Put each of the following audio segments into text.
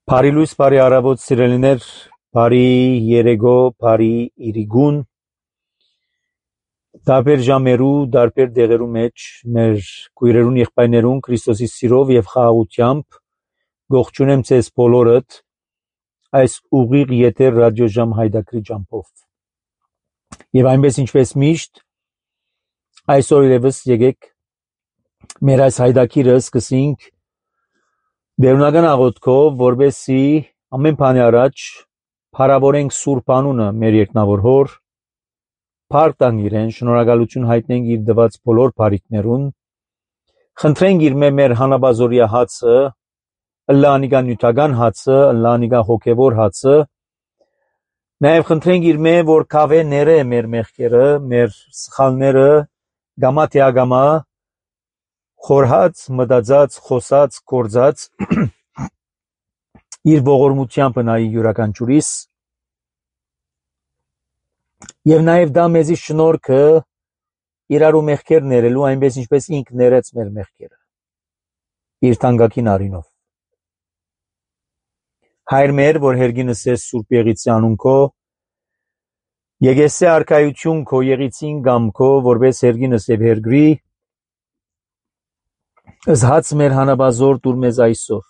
Բարի լույս, բարի առավոտ սիրելիներ, բարի երեկո, բարի իրիգուն, տարբեր ժամերու, տարբեր դեղերու մեջ, մեր քույրերուն եղբայրներուն Քրիստոսի սիրով եւ խաղաղությամբ գողջունեմ ձեզ բոլորդ այս ուղիղ եթեր ռադիոժամ հայդակրի ջամփով։ Եվ այնպես ինչպես միշտ, այսօր ևս եկեք մեր այս հայդակիրը սկսենք Դերունական աղոթքով, որպեսզի ամեն բանի առաջ փառավորենք Սուրբ անունը մեր երկնավոր Հոր, փառք տանք իրեն, շնորհակալություն հայտնենք իր տված բոլոր բարիքներուն, խնդրենք իր մեր հանաբազորյա հացը, ըլլանիգա նյութական հացը, ըլլանիգա հոգևոր հացը, նաև խնդրենք իր որ կավե ները մեր մեղքերը, մեր սխալները, գամա թե ագամա խորհած, մտածած, խոսած, գործած իր ողորմությամբ նայի յուրաքանչյուրիս եւ նաեւ դա մեզի շնորհքը իրարու մեղքեր ներելու այնպես ինչպես ինք ներեց մեր մեղքերը իր թանկագին արինով հայր մեր որ հերգինս ես Սուրբ Եղիցի անունքո եկեսե արքայություն քո եղիցին գամքո որպես հերգինս եւ հերգրի Զհաց մեր հանաբազոր դուր մեզ այսօր,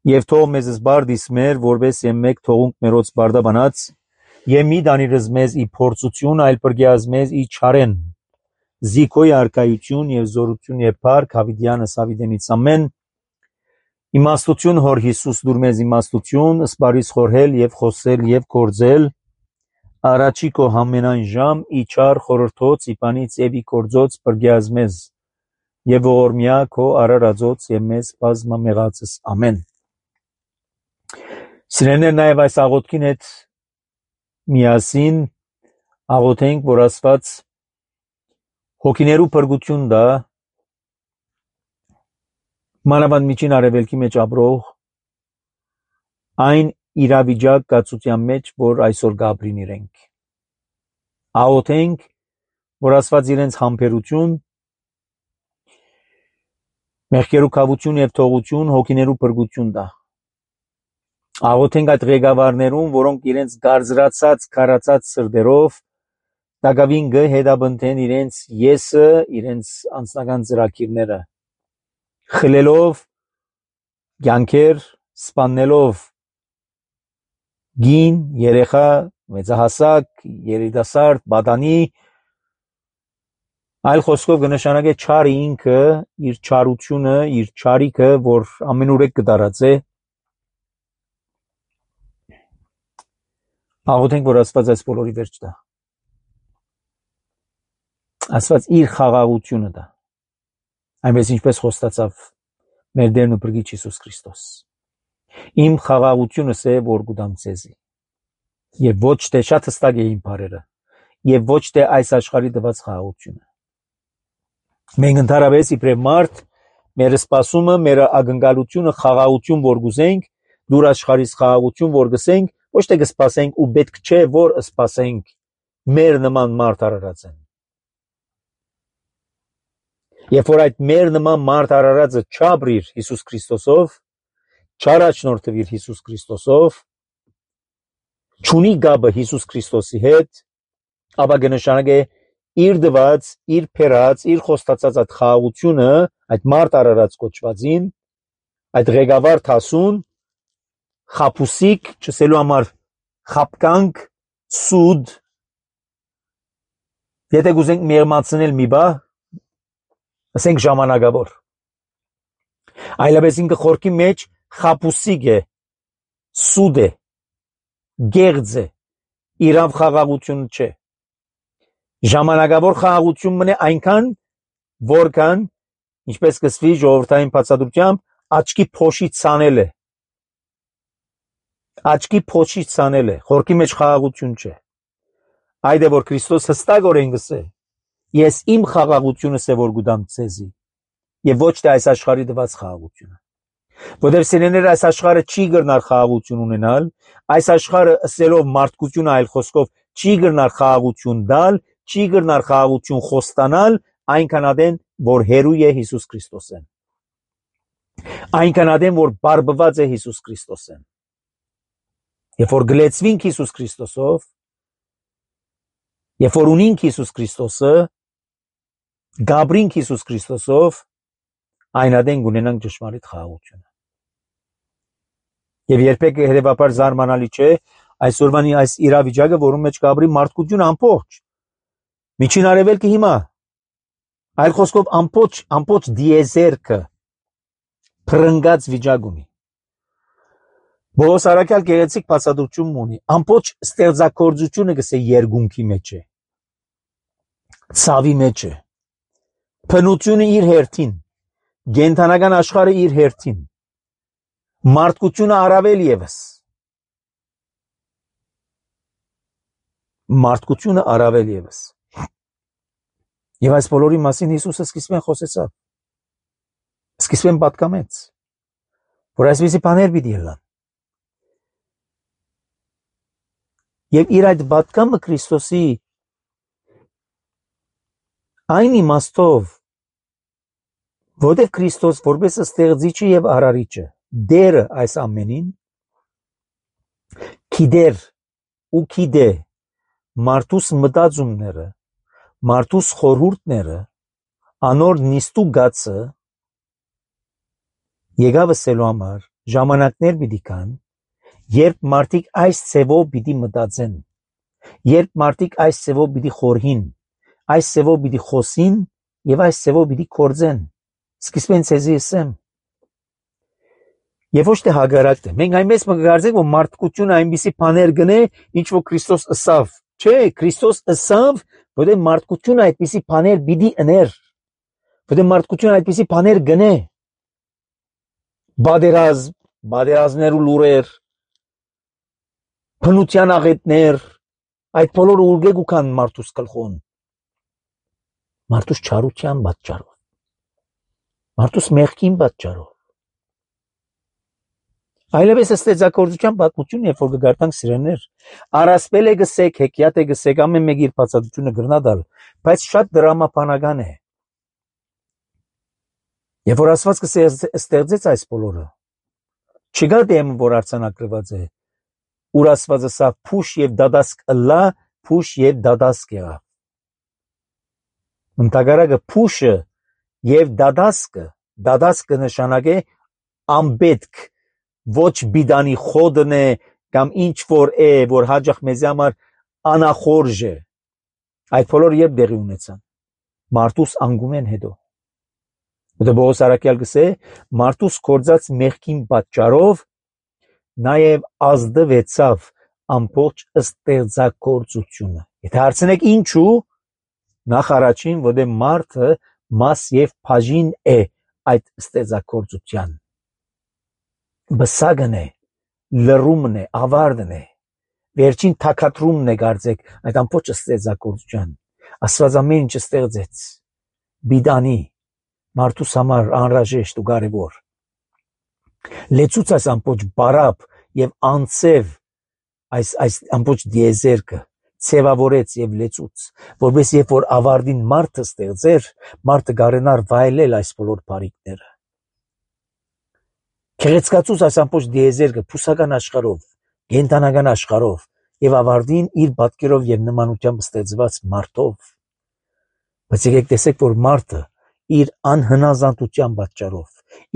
և թող մեզ զբարդիս մեր, որպես եմեկ թողունք մերոց բարդաբանած, և մի դանիրыз մեզ ի փորձություն, այլ պրգյազ մեզ ի չարեն, զիքոյ արկայություն և զորություն և պարք, հավիդյանս հավիդենից ամեն, իմաստություն հոր Հիսուս դուր մեզ իմաստություն, սպարիս խորհել և խոսել և կործել, առաջի քո համենայն ժամ, ի չար խորհրդոց, իպանից և ի կործոց պրգյազ մեզ, Եվ ողորմյա քո արարածոց եւ մեզ բազմամեղածս ամեն։ Սիրելիներ նաև այս աղոթքին հետ միասին աղոթենք, որ Աստված հոգիներու փրկություն տա մանավանդ միջին արևելքի մեջ ապրող այն իրավիճակ կացության մեջ, որ այսօր գաբրին իրենք։ Աղոթենք, որ Աստված իրենց համբերություն մեղքերու կավություն և թողություն, հոգիներու փրկություն տա։ Աղոթենք այդ ղեկավարներուն, որոնք իրենց գարձրացած, քարացած սրտերով տակավին հետապնդեն իրենց եսը, իրենց անձնական ծրագիրները, խլելով կյանքեր, սպանելով գին, երեխա, մեծահասակ, երիտասարդ, պատանի, Այլ խոսքով կնշանակե չարը ինքը, իր չարությունը, իր չարիքը, որ ամենուրեք կդարածե, աղոթենք, որ Աստված այս բոլորի վերջ տա։ Աստված իր խաղաղությունը տա, այնպես ինչպես խոստացավ մեր Տերն ու Փրկիչ Հիսուս Քրիստոս։ Իմ խաղաղությունս է, որ կուտամ ձեզի, եւ ոչ թե շատ հստակ է իմ բառերը, եւ ոչ թե այս աշխարհի տված խաղաղությունը։ Մենք ընդհանրապես իբրև մարդ, մեր սպասումը, մեր ակնկալությունը խաղաղություն որ գուզենք, դուր աշխարհից խաղաղություն որ գսենք, ոչ թե կսպասենք ու պետք չէ որ սպասենք մեր նման մարդ արարածեն։ Երբ որ այդ մեր նման մարդ արարածը չապրիր Հիսուս Քրիստոսով, չառաջնորդվիր Հիսուս Քրիստոսով, չունի գաբը Հիսուս Քրիստոսի հետ, ապա կնշանակե իր դված, իր փերած, իր խոստացած այդ խաղաղությունը, այդ մարդ արարած կոչվածին, այդ ղեկավար թասուն, խապուսիկ, չսելու համար խապկանք, սուդ, եթե կուզենք մեղմացնել մի բա, ասենք ժամանակավոր։ Այլապես ինքը խորքի մեջ խապուսիկ է, սուդ է, գեղձ է, իրավ խաղաղություն չէ։ Ժամանակավոր խաղաղություն մնե այնքան, որքան, ինչպես կսվի ժողովրդային բացատրությամբ, աչքի փոշի ցանել է։ Աչքի փոշի ցանել է, խորքի մեջ խաղաղություն չէ։ Այդ է որ Քրիստոս հստակորեն գսե. Ես իմ խաղաղությունս է որ գուտամ ձեզի, եւ ոչ թե այս աշխարհի տված խաղաղությունը։ Որտեղ սիրելիներ այս աշխարհը չի գրնար խաղաղություն ունենալ, այս աշխարհը ըսելով մարդկությունը այլ խոսքով չի գրնար խաղաղություն տալ, չի գրնար խաղաղություն խոստանալ այնքան ադեն, որ հերու է Հիսուս Քրիստոսեն։ Այնքան ադեմ, որ բարբված է Հիսուս Քրիստոսեն։ Երբ որ գլեցվինք Հիսուս Քրիստոսով, երբ որ ունինք Հիսուս Քրիստոսը, գաբրինք Հիսուս Քրիստոսով, այն ադեն գունենանք ճշմարիտ խաղաղությունը։ Եվ երբեք հետևաբար զարմանալի չէ այսօրվանի այս իրավիճակը, որում մեջ գաբրի մարդկություն ամբողջ։ Միջին արևելքը հիմա, այլ խոսքով ամբողջ դիեզերքը փրնգած վիճակ ունի։ Բողոս Արաքյալ գեղեցիկ բացատրություն ունի, ամբողջ ստեղծագործությունը գսե երկունքի մեջ է, ցավի մեջ է, փնությունը իր հերթին, գենթանական աշխարհը իր հերթին, մարդկությունը առավել եւս, մարդկությունը առավել եւս։ Եվ այս բոլորի մասին Հիսուսը սկիզբեն խոսեցավ, սկիզբեն պատկամեց, որ այսպիսի բաներ պիտի ելան։ Եվ իր այդ պատկամը Քրիստոսի այն իմաստով, որտեղ Քրիստոս որպես ստեղծիչը եւ արարիչը, դերը այս ամենին, գիտեր ու գիտե մարդուս մտածումները, մարդուս խորհուրդները, անոր նիստու գացը, եկավ ասելու համար ժամանակներ պիտի կան, երբ մարդիկ այս ցևով պիտի մտածեն, երբ մարդիկ այս ցևով պիտի խորհին, այս ցևով պիտի խոսին եւ այս ցևով պիտի կործեն։ Սկիզբեն ցեզի ասեմ, եւ ոչ թե հագարակը։ Մենք այնպես մգարձենք, որ մարդկությունը այնպիսի բաներ գնե, ինչ որ Քրիստոս ասավ։ Չէ, Քրիստոս ասավ, որ մարդկությունը այդպիսի բաներ պիտի աներ, որ մարդկությունը այդպիսի բաներ գնե։ Բادرազմներ ու լուրեր, փնության աղետներ, այդ բոլորը ուղղեք ու կան մարդուս գլխոն, մարդուս չարության պատճառով, մարդուս մեղքին պատճառով։ Այլևս ստեղծագործության պատմություն, երբ որ կգարտանք սիրելիներ, առասպել է գսեք, հեքիաթ է գսեք, ամեն մեկ իր բացատրությունը գրնադալ, բայց շատ դրամապանական է։ Երբ որ Աստված ստեղծեց այս բոլորը, չկա դեմ, որ արձանագրված է, ուր Աստված ասավ փուշ եւ դադասկ ըլլա, փուշ եւ դադասկ եղավ։ Ընդհանրակը փուշը եւ դադասկը նշանակե անպետք, ոչ բիդանի խոդն է կամ ինչ որ է, որ հաջող մեզ համար անախորժ է։ Այդ բոլորը երբ դեղի ունեցան, մարդուս անգումեն հետո։ Դա Բողոս Արաքյալ գսե, մարդուս կործած մեղքին պատճառով նաև ազդվեցավ ամբողջ ստեղծագործությունը։ Եթե հարցնեք ինչու, նախ առաջին, որ մարդը մաս եւ բաժին է այդ ստեղծագործության։ Բսագն է, լռումն է, ավարտն է, վերջին թակադրումն է գարձեք այդ ամբողջ ստեղծագործության։ Աստված ամեն ինչ ստեղծեց, բիդանի, մարդուս համար անհրաժեշտ ու կարևոր։ Լեցուց այս ամբողջ բարապ եւ անցև այս ամբողջ դիեզերքը ցևավորեց եւ լեցուց, որպես երբ որ ավարտին մարդը ստեղծեր, մարդը գարենար վայելել այս բոլոր բարիկները։ Քեղեցկացուց այս ամբողջ դիեզերքը փուսական աշխարհով, գենտանական աշխարհով եւ ավարտին իր պատկերով եւ նմանությամբ ստեղծված մարդով։ Բայց եկեք տեսեք, որ մարդը իր անհնազանդության պատճառով,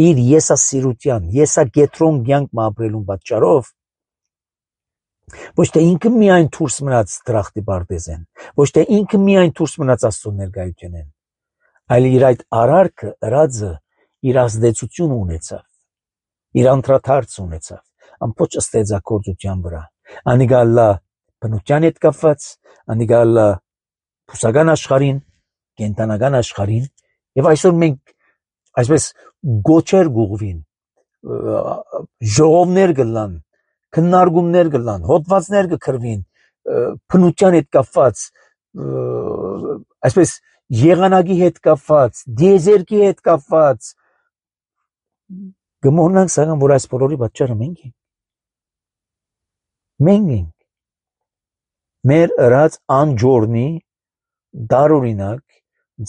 իր եսասիրության, եսագետրոն կյանք ապրելուն պատճառով, ոչ թե ինքը միայն դուրս մնաց դրախտի բարտեզեն, ոչ թե ինքը միայն դուրս մնաց Աստծո ներկայությունեն, այլ իր այդ արարքը, ըրածը իր ազդեցություն ունեցավ, իր անդրադարձ ունեցավ, ամբողջ ստեղծագործության վրա, անիգալա բնության հետ կապված, անիգալա փուսական աշխարհին, կենտանական աշխարհին, եւ այսօր մենք այսպես գոչեր գուղվին, ժողովներ գլան, քննարկումներ գլան, հոդվածներ կգրվին, բնության հետ կապված, այսպես եղանակի հետ կապված, դիեզերքի հետ կապված, գմորնանք սակայն, որ այս բոլորի պատճառը մենք ենք։ Մենք ենք։ Մեր ըրած անջորնի դարօրինակ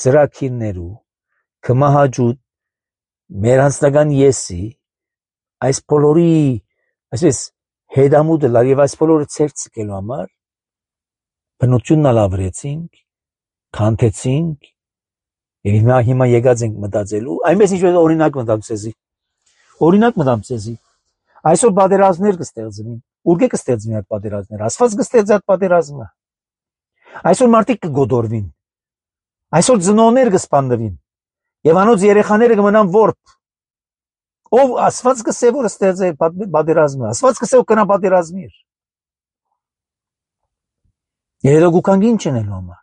ծրագիրներու կմահաճուտ մեր անձնական եսի այս բոլորի այսպես հետամուտը լավ եւ այս բոլորը ցերծելու համար բնությունն ալավրեցինք, քանթեցինք եւ հիմա եկած ենք մտածելու այնպես ինչպես օրինակ մտածեցի այսօր պատերազմներ կստեղծվին ուր կստեղծվին այդ պատերազմները Աստված կստեղծի այդ պատերազմը այսօր մարդիկ կգոդորվին այսօր ծնողներ կսպանվին եւ անոց երեխաները կմնան որբ ով Աստված կսե որ ստեղծե պատերազմը Աստված կսե որ կնա պատերազմիր Հետո գուկանք ինչ անելու համար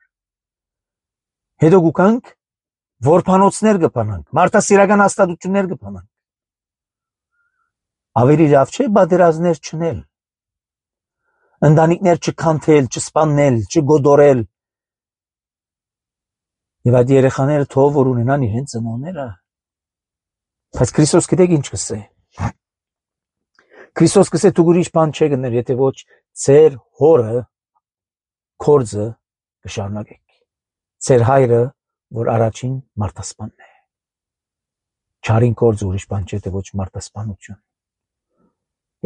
հետո գուկանք որբանոցներ կփանանք մարդասիրական հաստատություններ կփանանք ավելի լավ չէ պատերազմներ չնել ընտանիքներ չքանթել չսպանել չգոդորել եւ այդ երեխաները թող որ ունենան իրենց ծնողները բայց Քրիստոս գիտեք ինչ կսե Քրիստոս կսե դու ուրիշ բան չգներ եթե ոչ ծեր հորը կորձը կշարունակեք ծեր հայրը որ առաջին մարդասպանն է չարին կորձը ուրիշ բան չէ թե ոչ մարդասպանություն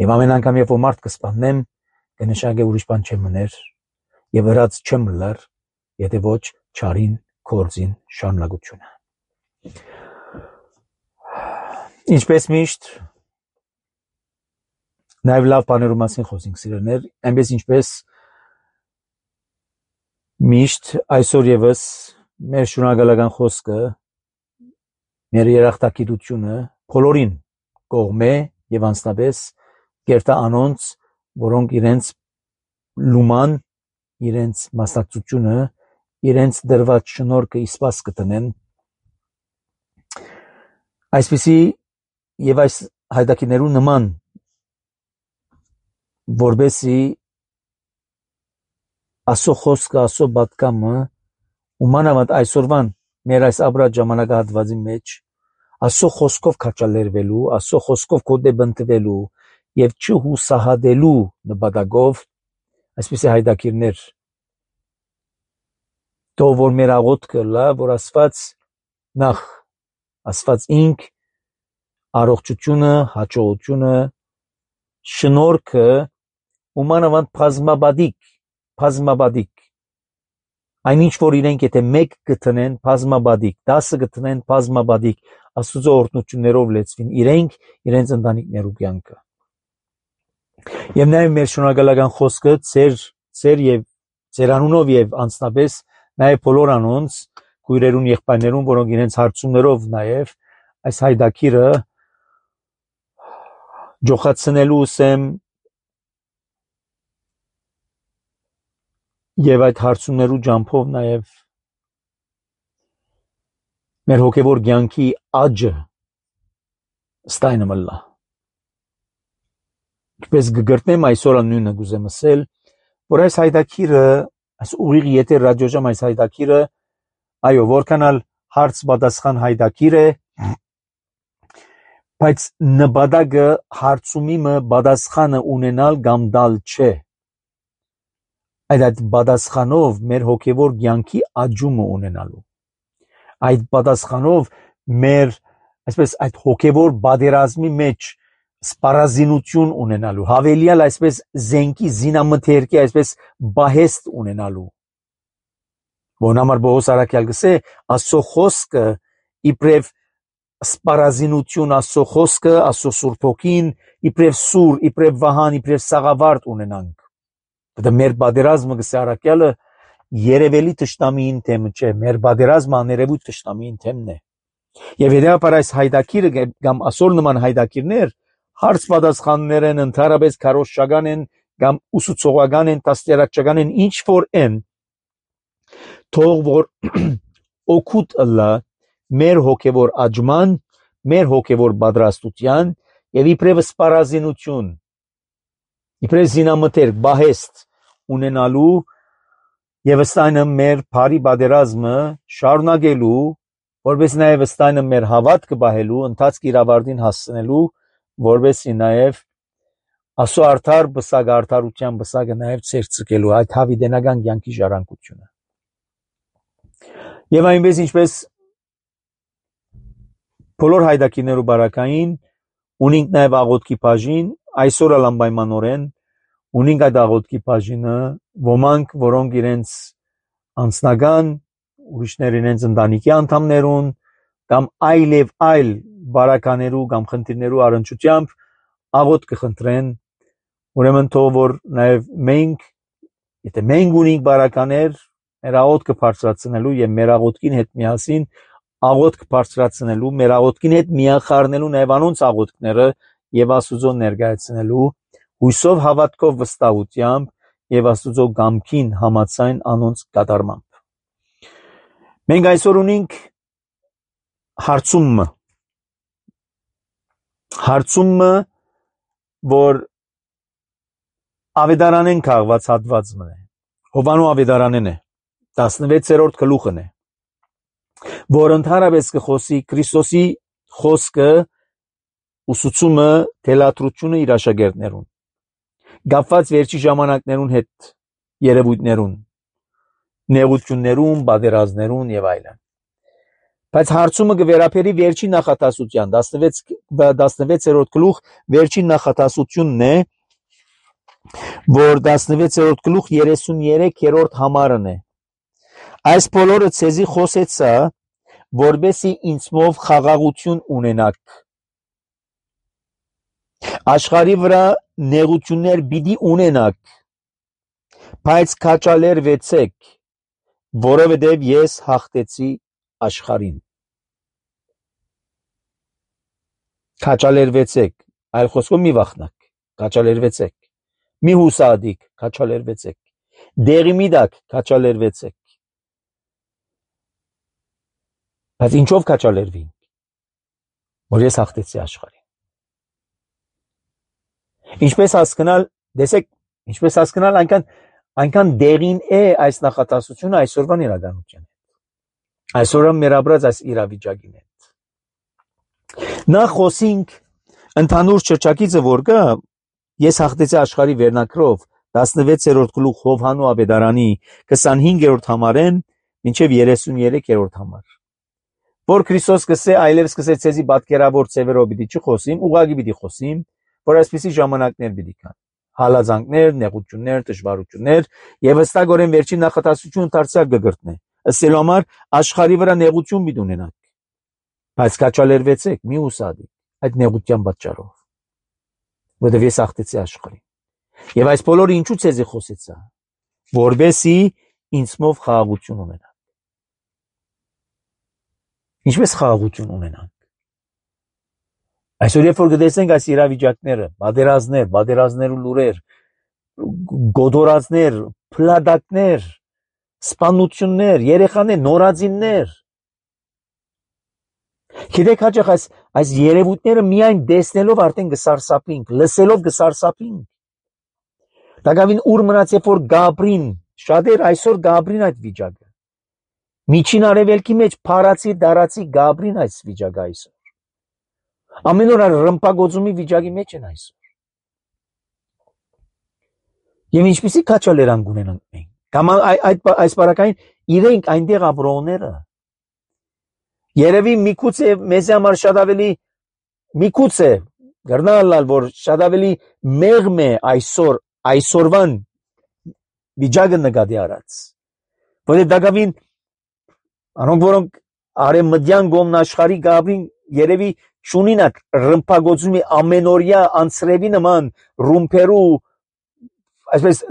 եւ ամեն անգամ երբ որ մարդ կսպաննեմ կնշանակե ուրիշ բան չեմ մներ եւ վրաց չեմ լար եթե ոչ չարին կորձին շարունակությունը ինչպես միշտ նաեւ լավ բաներու մասին խոսենք սիրելիներ այնպես ինչպես միշտ այսօր եւս մեր շնորհակալական խոսքը մեր երախտագիտությունը բոլորին կողմե եւ անձնապես կերտա անոնց որոնք իրենց լուման իրենց մասնակցությունը իրենց դրված շնորհքը իսպաս կտնեն այսպեսի եւ այս հայդակիներու նման որբեսի ասո խոսքը ասո բատկամը ումանավանդ այսօրվան մեր այս ապրած ժամանակահատվածի մեջ ասո խոսքով քաչալերվելու ասո խոսքով կոդեբընտվելու եւ չհուսահատելու նպատակով այսպեսի հայդակիրներ թող որ մեր աղոթքը լա որ Աստված ինք առողջությունը հաջողությունը շնորհքը ումանավանդ բազմաբադիկ այնինչ որ իրենք եթե մեկ գտնեն բազմաբադիկ 10 գտնեն բազմաբադիկ Աստծո օրհնություններով լեցվին իրենց ընտանիքներու կյանքը եւ նաեւ մեր շնորհակալական խոսքը ծեր եւ ծեր անունով եւ անձնապես նաեւ բոլոր անոնց քույրերուն եղբայրներուն որոնք իրենց հարցումներով նաեւ այս հայդակիրը ջոխացնելու սեմ եւ այդ հարցումներու ջամփով նաեւ մեր հոգեվոր կյանքի աճը ստայնը մլա ինչպես գգրտնեմ այսօր նույնը գուզեմ ասել որ այս հայդակիրը այս ուղիղ եթե ռադիոժամ այս հայդակիրը այո որքանալ հարց պատասխան հայդակիր է բայց նպատակը հարցումիմը պատասխանը ունենալ կամ դալ չէ այդ պատասխանով մեր հոգեվոր կյանքի աճումը ունենալու այդ պատասխանով մեր այսպես այդ հոգեվոր բادرազմի մեջ սպառազինություն ունենալու հավելյալ այսպես զենքի զինամթերքի այսպես բահեստ ունենալու Որնամար Բողոս Արաքյալ գսե Աստծո խոսքը իբրև սպառազինություն Աստծո խոսքը Աստծո Սուրբ Հոգին իբրև սուր իբրև վահան իբրև սաղավարտ ունենանք դա մեր բادرազմը գսե Արաքյալը երևելի տշտամիին թեմը չէ մեր բادرազմը աներևույթ տշտամիին թեմն է եւ հետեւաբար այս հայդակիրը կամ ասոր նման հայդակիրներ հարց պատասխաններ են ընդհանրապես քարոշչական են կամ ուսուցողական են տասներակչական են ինչ որ են թող որ օգուտ ըլլա մեր հոգևոր աճման մեր հոգևոր պատրաստության եւ իբրև սպառազինություն իբրև զինամթերք բահեստ ունենալու եւ ըստայնը մեր բարի բادرազմը շարունակելու որպես նաեւ ըստայնը մեր հավատքը բահելու ընթացք իրավարտին հասցնելու որպեսի նաեւ ասո արդար բսակ արդարության բսակը նաեւ ցերծկելու այդ հավիտենական կյանքի ժառանգությունը եւ այնպես ինչպես բոլոր հայդակիներու բարակային ունենք նաև աղոթքի բաժին, այսօր անպայմանորեն ունենք այդ աղոթքի բաժինը, ոմանք, որոնք իրենց անձնական, ուրիշներ իրենց ընտանիքի անդամներուն կամ այլ բարականերու կամ խնդիրներու առնչությամբ աղոթք կխնդրեն, ուրեմն թող որ նաև մենք, եթե մենք ունենք բարականեր, մեր աղոթքը բարձրացնելու եւ մեր աղոթքին հետ միասին աղոթք բարձրացնելու, մեր աղոթքին հետ միախառնելու նաև անոնց աղոթքները եւ Աստուծո ներկայացնելու հույսով, հավատքով, վստահությամբ եւ Աստուծո գամքին համաձայն անոնց կատարմամբ։ Մենք այսօր ունենք հարցումը, որ Ավետարանեն քաղված հատվածն է, Հովանու Ավետարանեն է, 16-րդ գլուխն է, որ ընդհանրապես կխոսի Քրիստոսի խոսքը, ուսուցումը, թելադրությունը իր աշակերտներուն, գապված վերջի ժամանակներուն հետ, երևույթներուն, նեղություններուն, պատերազմներուն եւ այլն։ Բայց հարցումը կվերապերի վերջին նախատասության, 16-րդ գլուխ վերջին նախատասությունն է, որ 16-րդ գլուխ 33-րդ համարն է։ Այս բոլորը ցեզի խոսեցա, որբեսի ինձմով խաղաղություն ունենաք։ Աշխարհի վրա նեղություններ պիտի ունենաք, բայց քաջալերվեցեք, որովհետև ես հաղթեցի աշխարհին։ Քաջալերվեցեք, այլ խոսքով մի վախնաք, քաջալերվեցեք, մի հուսադիք, քաջալերվեցեք, դեղի մի դակ, քաջալերվեցեք։ Բայց ինչով քաջալերվին, որ ես հաղթեցի աշխարհին։ Ինչպես հասկանալ, տեսեք, ինչպես հասկանալ, այնքան դեղին է այս նախատասությունը այսօրվան իրականության հետ։ Այսօրը մեր ապրած այս իրավիճակին հետ։ Նախ խոսենք ընդհանուր շրջակիցը, որ կա, ես հաղթեցի աշխարհի վերնակրով 16-րդ գլուխ Հովհաննու Ավետարանի 25-րդ համարեն մինչև 33-րդ համար։ Որ Քրիստոս կսե այլևս կսե ցեզի պատկերավոր ծևերով պիտի չխոսիմ, ուղղակի պիտի խոսիմ, որ այսպիսի ժամանակներ պիտի կան։ Հալածանքներ, նեղություններ, դժվարություններ եւ հստակորեն վերջին նախատասությունը դարձյալ կգրտնե։ Ըստ համար աշխարհի վրա նեղություն պիտի ունենաք։ Բայց քաջալերվեցեք, մի ուսադի այդ նեղության պատճառով, որովհետև ես հաղթեցի աշխարհին։ Եվ այս բոլորը ինչու ցեզի խոսեցա, որբեսի ինձմով խաղաղություն ունենաք։ Ինչպես խաղաղություն ունենանք։ Այսօր երբ որ գտեսնենք այս իրավիճակները, պատերազմներու լուրեր, գոդորածներ, փլադակներ, սպանություններ, երեխաներ, նորածիններ, գիտեք հաճախ այս երևույթները միայն տեսնելով արդեն կսարսափինք, լսելով կսարսափինք։ Դակավին ուր մնաց երբ որ Գաբրին, շատեր այսօր Գաբրին այդ վիճակը։ Միջին արևելքի մեջ փարացի դարացի Գաբրին այս վիճակը այսօր։ Ամեն օր ռմպագոծումի վիճակի մեջ են այսօր։ Եվ ինչպիսի քաջալերանք ունենանք մենք։ Կամ այս բարակային իրենք այնտեղ ապրողները։ Երևի միգուցե մեզ համար շատ ավելի միգուցե գռնալալ որ շատ ավելի մեղմ է այսօրվան վիճակը նկատի առած։ Որը դակավին անոնք որոնք արևմտյան գոմն աշխարհի Գաբրին երևի շունինակ ռմպագոծումի ամենօրյա անցրևի նման ռումպերու այսպես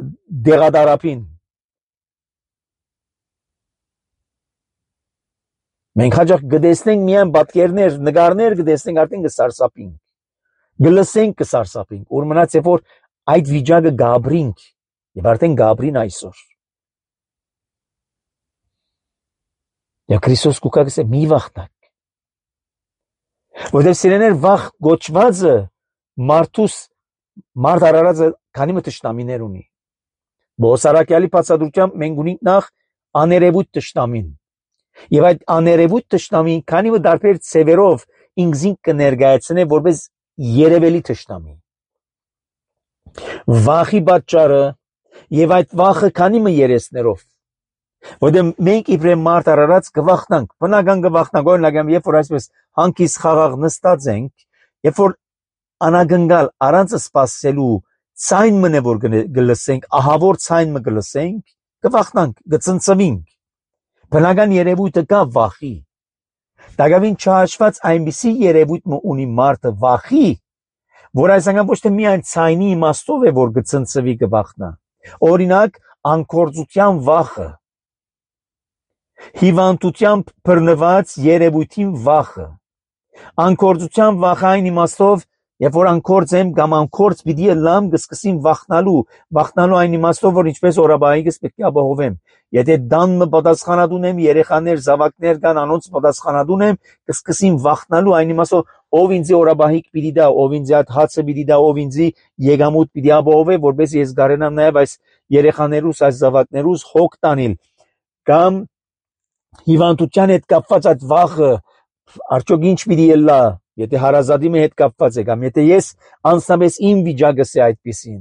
դեղադարապին։ Մենք հաճախ գտեսնենք միայն պատկերներ, նկարներ գտեսնենք արդեն կսարսափինք, գլսենք կսարսափինք, որ մնաց երբ որ այդ վիճակը Գաբրինք եւ արդեն Գաբրին այսօր։ Եվ Քրիստոս կուկակս է մի վախնակ։ Որտեղ սիրեներ վախ գոչվածը մարդ արարածը քանի մը տշնամիներ ունի։ Բոսարակյալի բացատրությամբ մենք ունենք նախ աներևույթ տշնամին։ Եվ այդ աներևույթ տշնամին քանի մը դարբեր ցևերով ինքզին կներկայացնե որպես երևելի տշնամի։ Վախի պատճառը եւ այդ վախը քանի մը երեսներով։ Որտեղ մենք իբրե մարդ արարած կվախնանք, բնական կվախնանք, օրինակ երբ որ այսպես հանկից խաղաղ նստած ենք, երբ որ անագնգալ առանց սպասելու ցայն մնե որ գլսենք, ահավոր ցայն մը գլսենք, կվախնանք, կծնծվինք։ Բնական երևույթը կա վախի։ Դակավին չհաշված այնպիսի երևույթ մը ունի մարդը վախի, որ այսինքն ոչ թե միայն ցայնի իմաստով է, որ կծնծվի կվախնա։ Օրինակ, անկործության վախը, հիվանդությամբ բռնված երևույթին վախը, անկործության վախը այն իմաստով, երբ որ անկորձ եմ կամ անկորձ պիտի լամ կսկսին վախնալու այն իմաստով, որ ինչպես օրաբայիկս պետք է ապահովեմ։ Եթե դանմը պատասխանատուն եմ, երեխաներ, զավակներ կան, անոնց պատասխանատուն եմ, կսկսին վախնալու այն իմաստով, ով ինձ օրաբահիկ պիտի դա, ով ինձ այդ հացը պիտի դա, ով ինձ եկամուտ պիտի ապահովե, որպես ես կարենամ նաև այս երեխաներուս, այս զավակներուս հոգ տանել, կամ հիվանդության հետ կապված այդ վախը, արդյոք ինչ պիտի ելա, եթե հարազատի հետ կապված է, կամ եթե ես անձնապես իմ վիճակս է այդպիսին։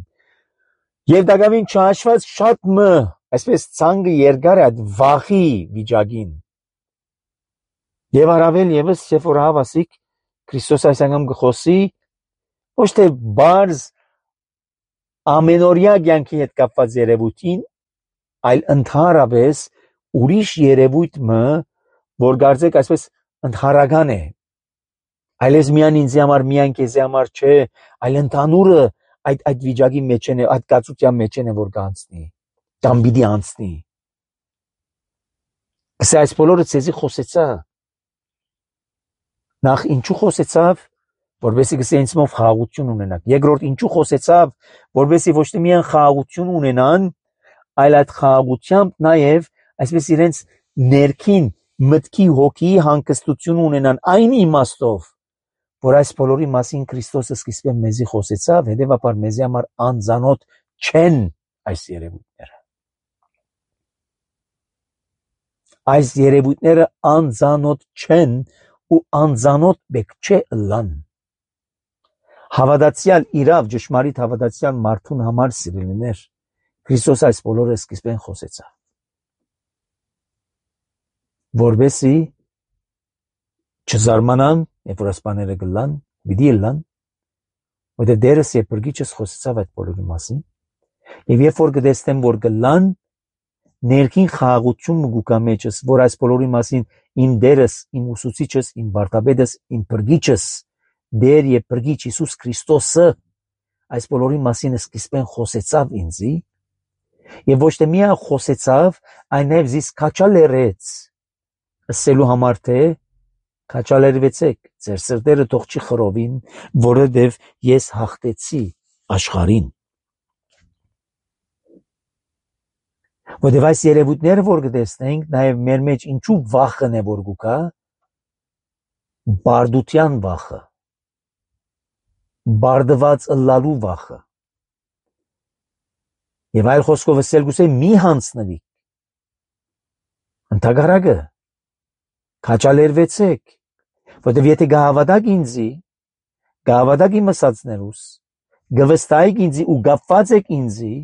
Եվ դակավին չհաշված շատ մը, այսպես ցանկը երկար է այդ վախի վիճակին։ Եվ առավել եւս, երբ որ հավասիկ Քրիստոս այսանգամ գխոսի, ոչ թե բարձ ամենօրյա կյանքի հետ կապված երևույթին, այլ ընդհանրապես ուրիշ երևույթ մը, որ կարծեք այսպես ընդհանրական է, այլես միայն ինձ համար, միայն քեզ համար չէ, այլ ընդհանուրը այդ վիճակի մեջ է, այդ կացության մեջ է, որ կանցնի, կամ պիտի անցնի։ Գսե այս բոլորը ցեզի խոսեցա։ Նախ ինչու խոսեցավ, որովհետեւ գսե ինձ մով խաղաղություն ունենաք։ Երկրորդ ինչու խոսեցավ, որովհետեւ ոչ թե միայն խաղաղություն ունենան, այլ այդ խաղաղությամբ նաև այսպես իրենց ներքին մտքի հոգի հանգստություն ունենան այն իմաստով, որ այս բոլորի մասին Քրիստոսը սկիզբը մեզի խոսեցավ, հետևաբար մեզի համար անձանոտ չեն այս երևույթները։ Այս երևույթները անձանոտ չեն ու անձանոտ բեք չէ լան։ Հավատացյալ իրավ ճշմարիտ հավատացյալ մարդուն համար սիրելիներ, Քրիստոս այս բոլորը սկիզբեն խոսեցավ, որովհետեւ չզարմանան, երբ որ ասպաները գլան, պիտի լան, որտեղ դերս եւ բրգիչս խոսեցավ այդ բոլորի մասին, եւ երբ որ կտեսնեմ, որ գլան, ներքին խաղաղություն մգուկա մեջս, որ այս բոլորի մասին իմ դերս, իմ ուսուցիչս, իմ վարդապետս, իմ բրգիչս, դեր եւ բրգիչ Հիսուս Քրիստոսը այս բոլորի մասին սկիզբեն խոսեցավ ինձի, եւ ոչ թե միայն խոսեցավ, այլև զիս քաչալերեց, ասելու համար թե քաչալերվեցեք, ձեր սրտերը թող չի խռովին, որովհետև ես հաղթեցի աշխարհին։ Որովհետև այս երևույթները, որ կտեսնենք, նաև մեր մեջ ինչու վախն է, որ գուկա, բարդության վախը, բարդված ըլլալու վախը։ Եվ այլ խոսքով ասել գուցե մի հանցնվի։ Ընդհակառակը քաչալերվեցեք, որովհետև եթե գահավատակ ինձի, գահավատակ իմ ասածներուս, գվստայիք ինձի ու գապված եք ինձի,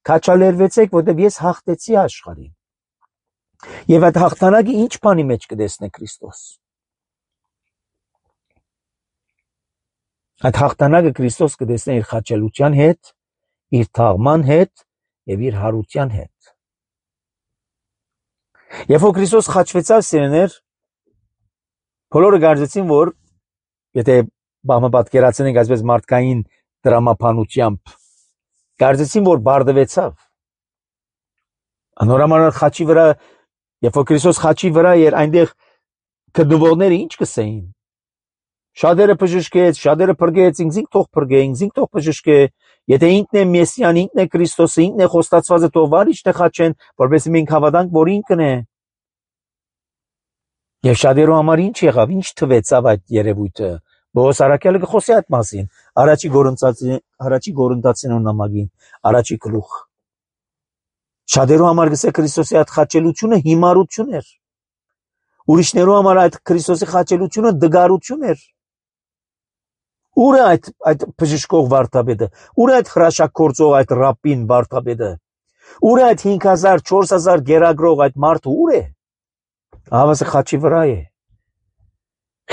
քաչալերվեցեք, որովհետև ես հաղթեցի աշխարհին։ Եվ այդ հաղթանակը ինչ բանի մեջ կտեսնե Քրիստոս։ Այդ հաղթանակը Քրիստոս կտեսնե իր խաչելության հետ, իր թաղման հետ եւ իր հարության հետ։ Երբ որ Քրիստոս խաչվեցավ սիրեներ, բոլորը կարծեցին, որ եթե բամը պատկերացնենք այսպես մարդկային դրամապանությամբ, կարծեցին, որ բարդվեցավ։ Անորոմանալ խաչի վրա, երբ որ Քրիստոս խաչի վրա էր, այնտեղ գտնվողները ինչ կսեին։ Շատերը բժշկեց, շատերը փրկեց, ինքնին թող փրկե, ինքնին թող բժշկե, եթե ինքն է Մեսիան, ինքն է Քրիստոսը, ինքն է խոստացվածը, թող վարիչ թե խաչեն, որովհետեւ մենք հավատանք, որ ինքն է։ Եվ շատերու համար ինչ եղավ, ինչ թվեցավ այդ երևույթը։ Բողոս Արաքյալը կխոսի այդ մասին, առաջի Գորընթացիներու նամակին, առաջի գլուխ։ Շատերու համար գսե Քրիստոսի այդ խաչելությունը հիմարություն էր։ Ուրիշներու համար այդ Քրիստոսի խաչելությունը դգարություն էր։ Ուր է այդ բժշկող վարդապետը, ուր է այդ հրաշագործող այդ ռաբին վարդապետը, ուր է այդ 5000, 4000 գերագրող այդ մարդը, ուր է։ Հավասը խաչի վրա է։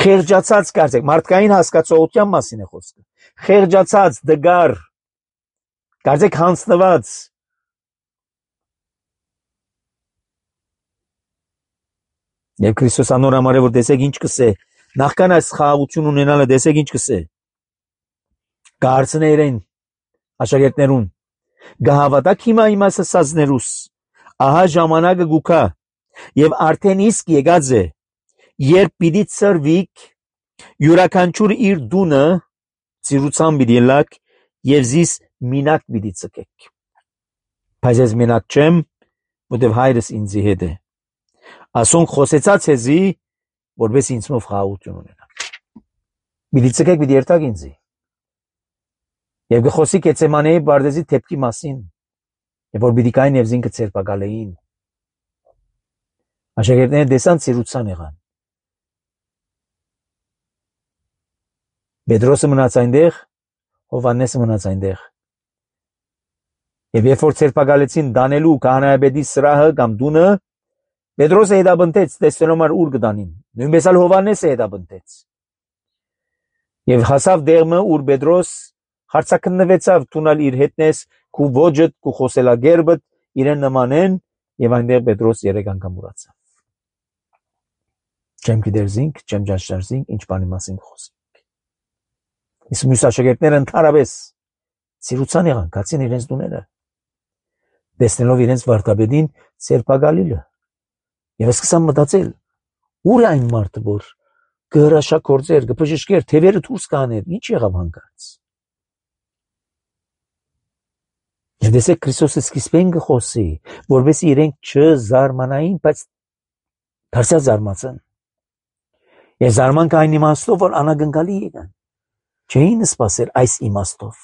Խեղճացած կարծեք, մարդկային հասկացողության մասին է խոսքը։ Խեղճացած, դգար, կարծեք հանձնված։ Եվ Քրիստոս անոր համար է, որ տեսեք ինչ կսե, նախքան այս խաղաղություն ունենալը տեսեք ինչ կսե։ Կհարցնե իրեն աշակերտներուն, գահավատակ հիմա իմ ասածներուս, ահա ժամանակը գուքա, եւ արդեն իսկ եկած է, երբ պիտի ծրվիք, յուրաքանչյուր իր դունը ծիրուցան պիտի լակ, եւ զիս մինակ պիտի ծկեք։ Բայց ես մենակ չեմ, որտեւ հայրս ինձի հետ է։ Ասոնք խոսեցած հեզի, որպես ինձնով խաղաղություն ունենաք։ Պիտի ծկեք, պիտի երթաք ինձի։ Եվ գխոսի Գեթսեմանեի բարձի թեփքի մասին, եւ որ պիտի կային եւ զինքը ցերպակալեին։ Աշակերտները դեսան ծիրուցան եղան։ Պետրոսը մնաց այնտեղ, Հովհաննեսը մնաց այնտեղ։ Եվ երբ որ ցերպակալեցին Դանիելու քահանայապետի սրահը կամ դունը, Պետրոսը հետապնդեց, տեսնելով որ ուր կդանին։ Նույնպես էլ Հովհաննեսը հետապնդեց։ Եվ հասավ դերմը, ուր Պետրոս հարցակնվեցավ տունալ իր հետնես, քու ոճդ, քու խոսելագերբդ իրեն նմանեն, եւ այնտեղ Պետրոս 3 անգամ ուրացավ։ Չեմ գիտերզինք, չեմ ճաշարզինք, ինչ բանի մասին խոսենք։ Իսկ մյուս աշակերտները ընդհանրապես ծիրուցան եղան, գացին իրենց դուները։ Տեսնելով իրենց վարդապետին ցերպակալիլը։ Եվ սկսան մտածել, ուր է այն մարդը, որ կհրաշագործեր, կբժշկեր, թևերը դուրս կաներ, ինչ եղավ հանկարծ։ Եվ դեսեք Քրիստոսը սկիզբեն կխոսի, որովհետեւ իրենք չզարմանային, բայց դարձյալ զարմացան։ Եվ զարմանքը այն իմաստով, որ անագնկալի եկան։ Չէին սպասել այս իմաստով։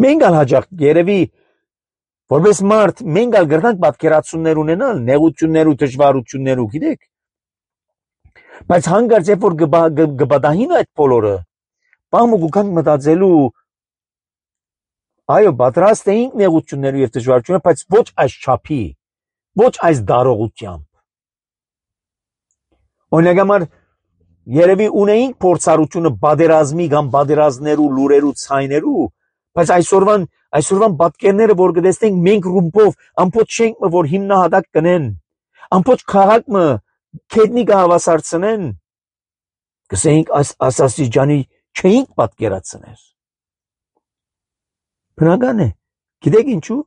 Մենք ալ հաջող երևի որպես մարդ մենք ալ գրնանք պատկերացումներ ունենալ, նեղություններ ու դժվարություններ ու գիտեք։ Բայց հանկարծ երբ որ կբադահին այդ բոլորը, բամը գուքանք մտածելու այո, պատրաստ էինք նեղություններ եւ դժվարություններ, բայց ոչ այս չափի, ոչ այս դարողությամբ։ Օրինակ համար երևի ունեինք փորձառությունը բادرազմի կամ բادرազներու լուրերու ցայներու, բայց այսօրվան պատկերները որ կտեսնենք մենք ռումբով ամբողջ շենքը որ հիմնահատակ կնեն, ամբողջ քաղաքը քետնի կհավասարցնեն, կսենք ասասիջանի չէինք պատկերացնել։ Բնական է, գիտեք ինչու,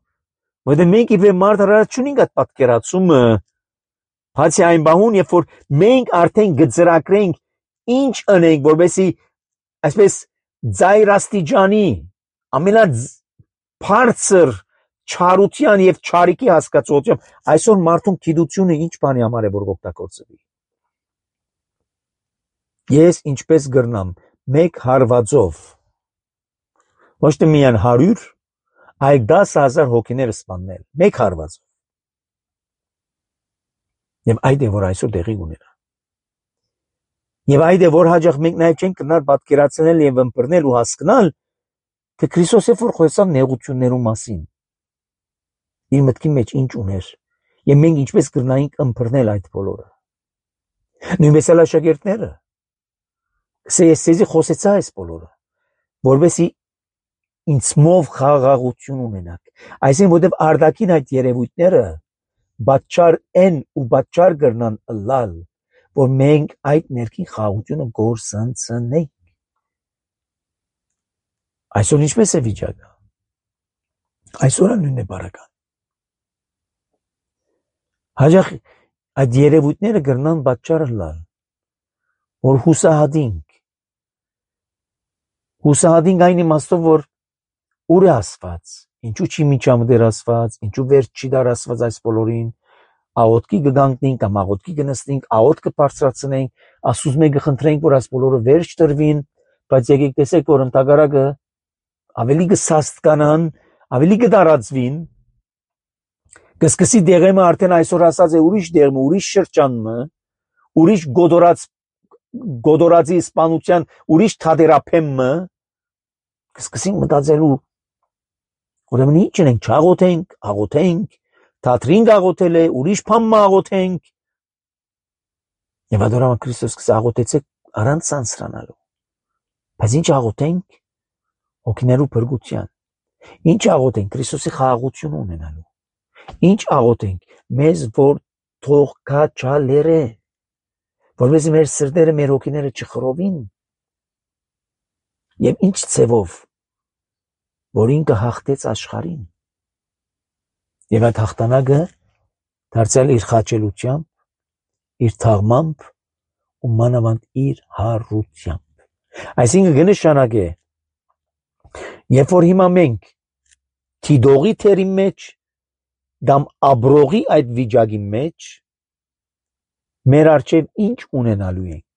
որտեղ մենք իբր մարդ արած չունենք այդ պատկերացումը, բացի այն բահուն, երբ որ մենք արդեն գծրակրենք ինչ անենք, որովհետեւ այսպես ծայրաստիճանի ամենաբարձր չարության եւ չարիքի հասկացությամբ այսօր մարդուն գիտությունը ինչ բանի համար է որ օգտագործվի։ Ես ինչպես գրնամ մեկ հարվածով ոչ թե միայն 100, այլ 10,000 հոգիներ սպանել մեկ հարվածով։ Եվ այդ է որ այսօր տեղի ունենա։ Եվ այդ է որ հաջող մենք նաև չենք կնար պատկերացնել եւ ըմբռնել ու հասկանալ, թե Քրիստոսը որ խոսավ նեղություններու մասին։ Իր մտքի մեջ ինչ ուներ եւ մենք ինչպես կրնայինք ըմբռնել այդ բոլորը։ Նույնպես էլ աշակերտները։ Ես խոսեցա այս բոլորը, որովհետեւ ինձմով խաղաղություն ունենաք։ Այսինքն որտեւ արդակին այդ երևույթները բաճար են ու բաճար կրնան լալ, որ մենք այդ ներքին խաղաղությունը գործընծնենք։ Այսօր ինչպես է վիճակը։ Այսօր նույնն է բարական։ Հաջող այդ երևույթները կրնան բաճար լալ, որ հուսահատինք այն իմաստով, որ ուր է ասված, ինչու չի միջամտեր ասված, ինչու վերջ չի դար ասված այս բոլորին, աղոտքի կգանքնենք կամ աղոտքի կնստենք, աղոտ կբարձրացնենք, ասուզմե կխնդրենք, որ այս բոլորը վերջ տրվին, բայց եկեք տեսեք, որ ընդհակառակը ավելի կսաստկանան, ավելի կդարածվին, կսկսի դեղեմը արդեն այսօր ասած է ուրիշ դեղմը, ուրիշ շրջանմը, ուրիշ գոդորածի սպանության, ուրիշ թադերապեմը, կսկսին մտածելու, ուրեմն ինչ ենք, չաղոթենք, աղոթենք, թատրին աղոթել է, ուրիշ բան աղոթենք։ Եվ adorama Քրիստոս սկսա աղոթեցեք առանց սանսրանալու։ Բայց ինչ աղոթենք հոգիներու փրկության։ Ինչ աղոթենք Քրիստոսի խաղաղություն ունենալու։ Ինչ աղոթենք մեզ որ թող քաչալերը, որովհետեւ մեր սրտերը, մեր հոգիները չխռովին։ Եվ ինչ ցևով, որ ինքը հաղթեց աշխարհին։ Եվ այդ հաղթանակը դարձյալ իր խաչելությամբ, իր թաղմամբ ու մանավանդ իր հարությամբ։ Այսինքն կնշանակե, երբ որ հիմա մենք թիդողի թերի մեջ կամ աբրողի այդ վիճակի մեջ մեր առջև ինչ ունենալու ենք։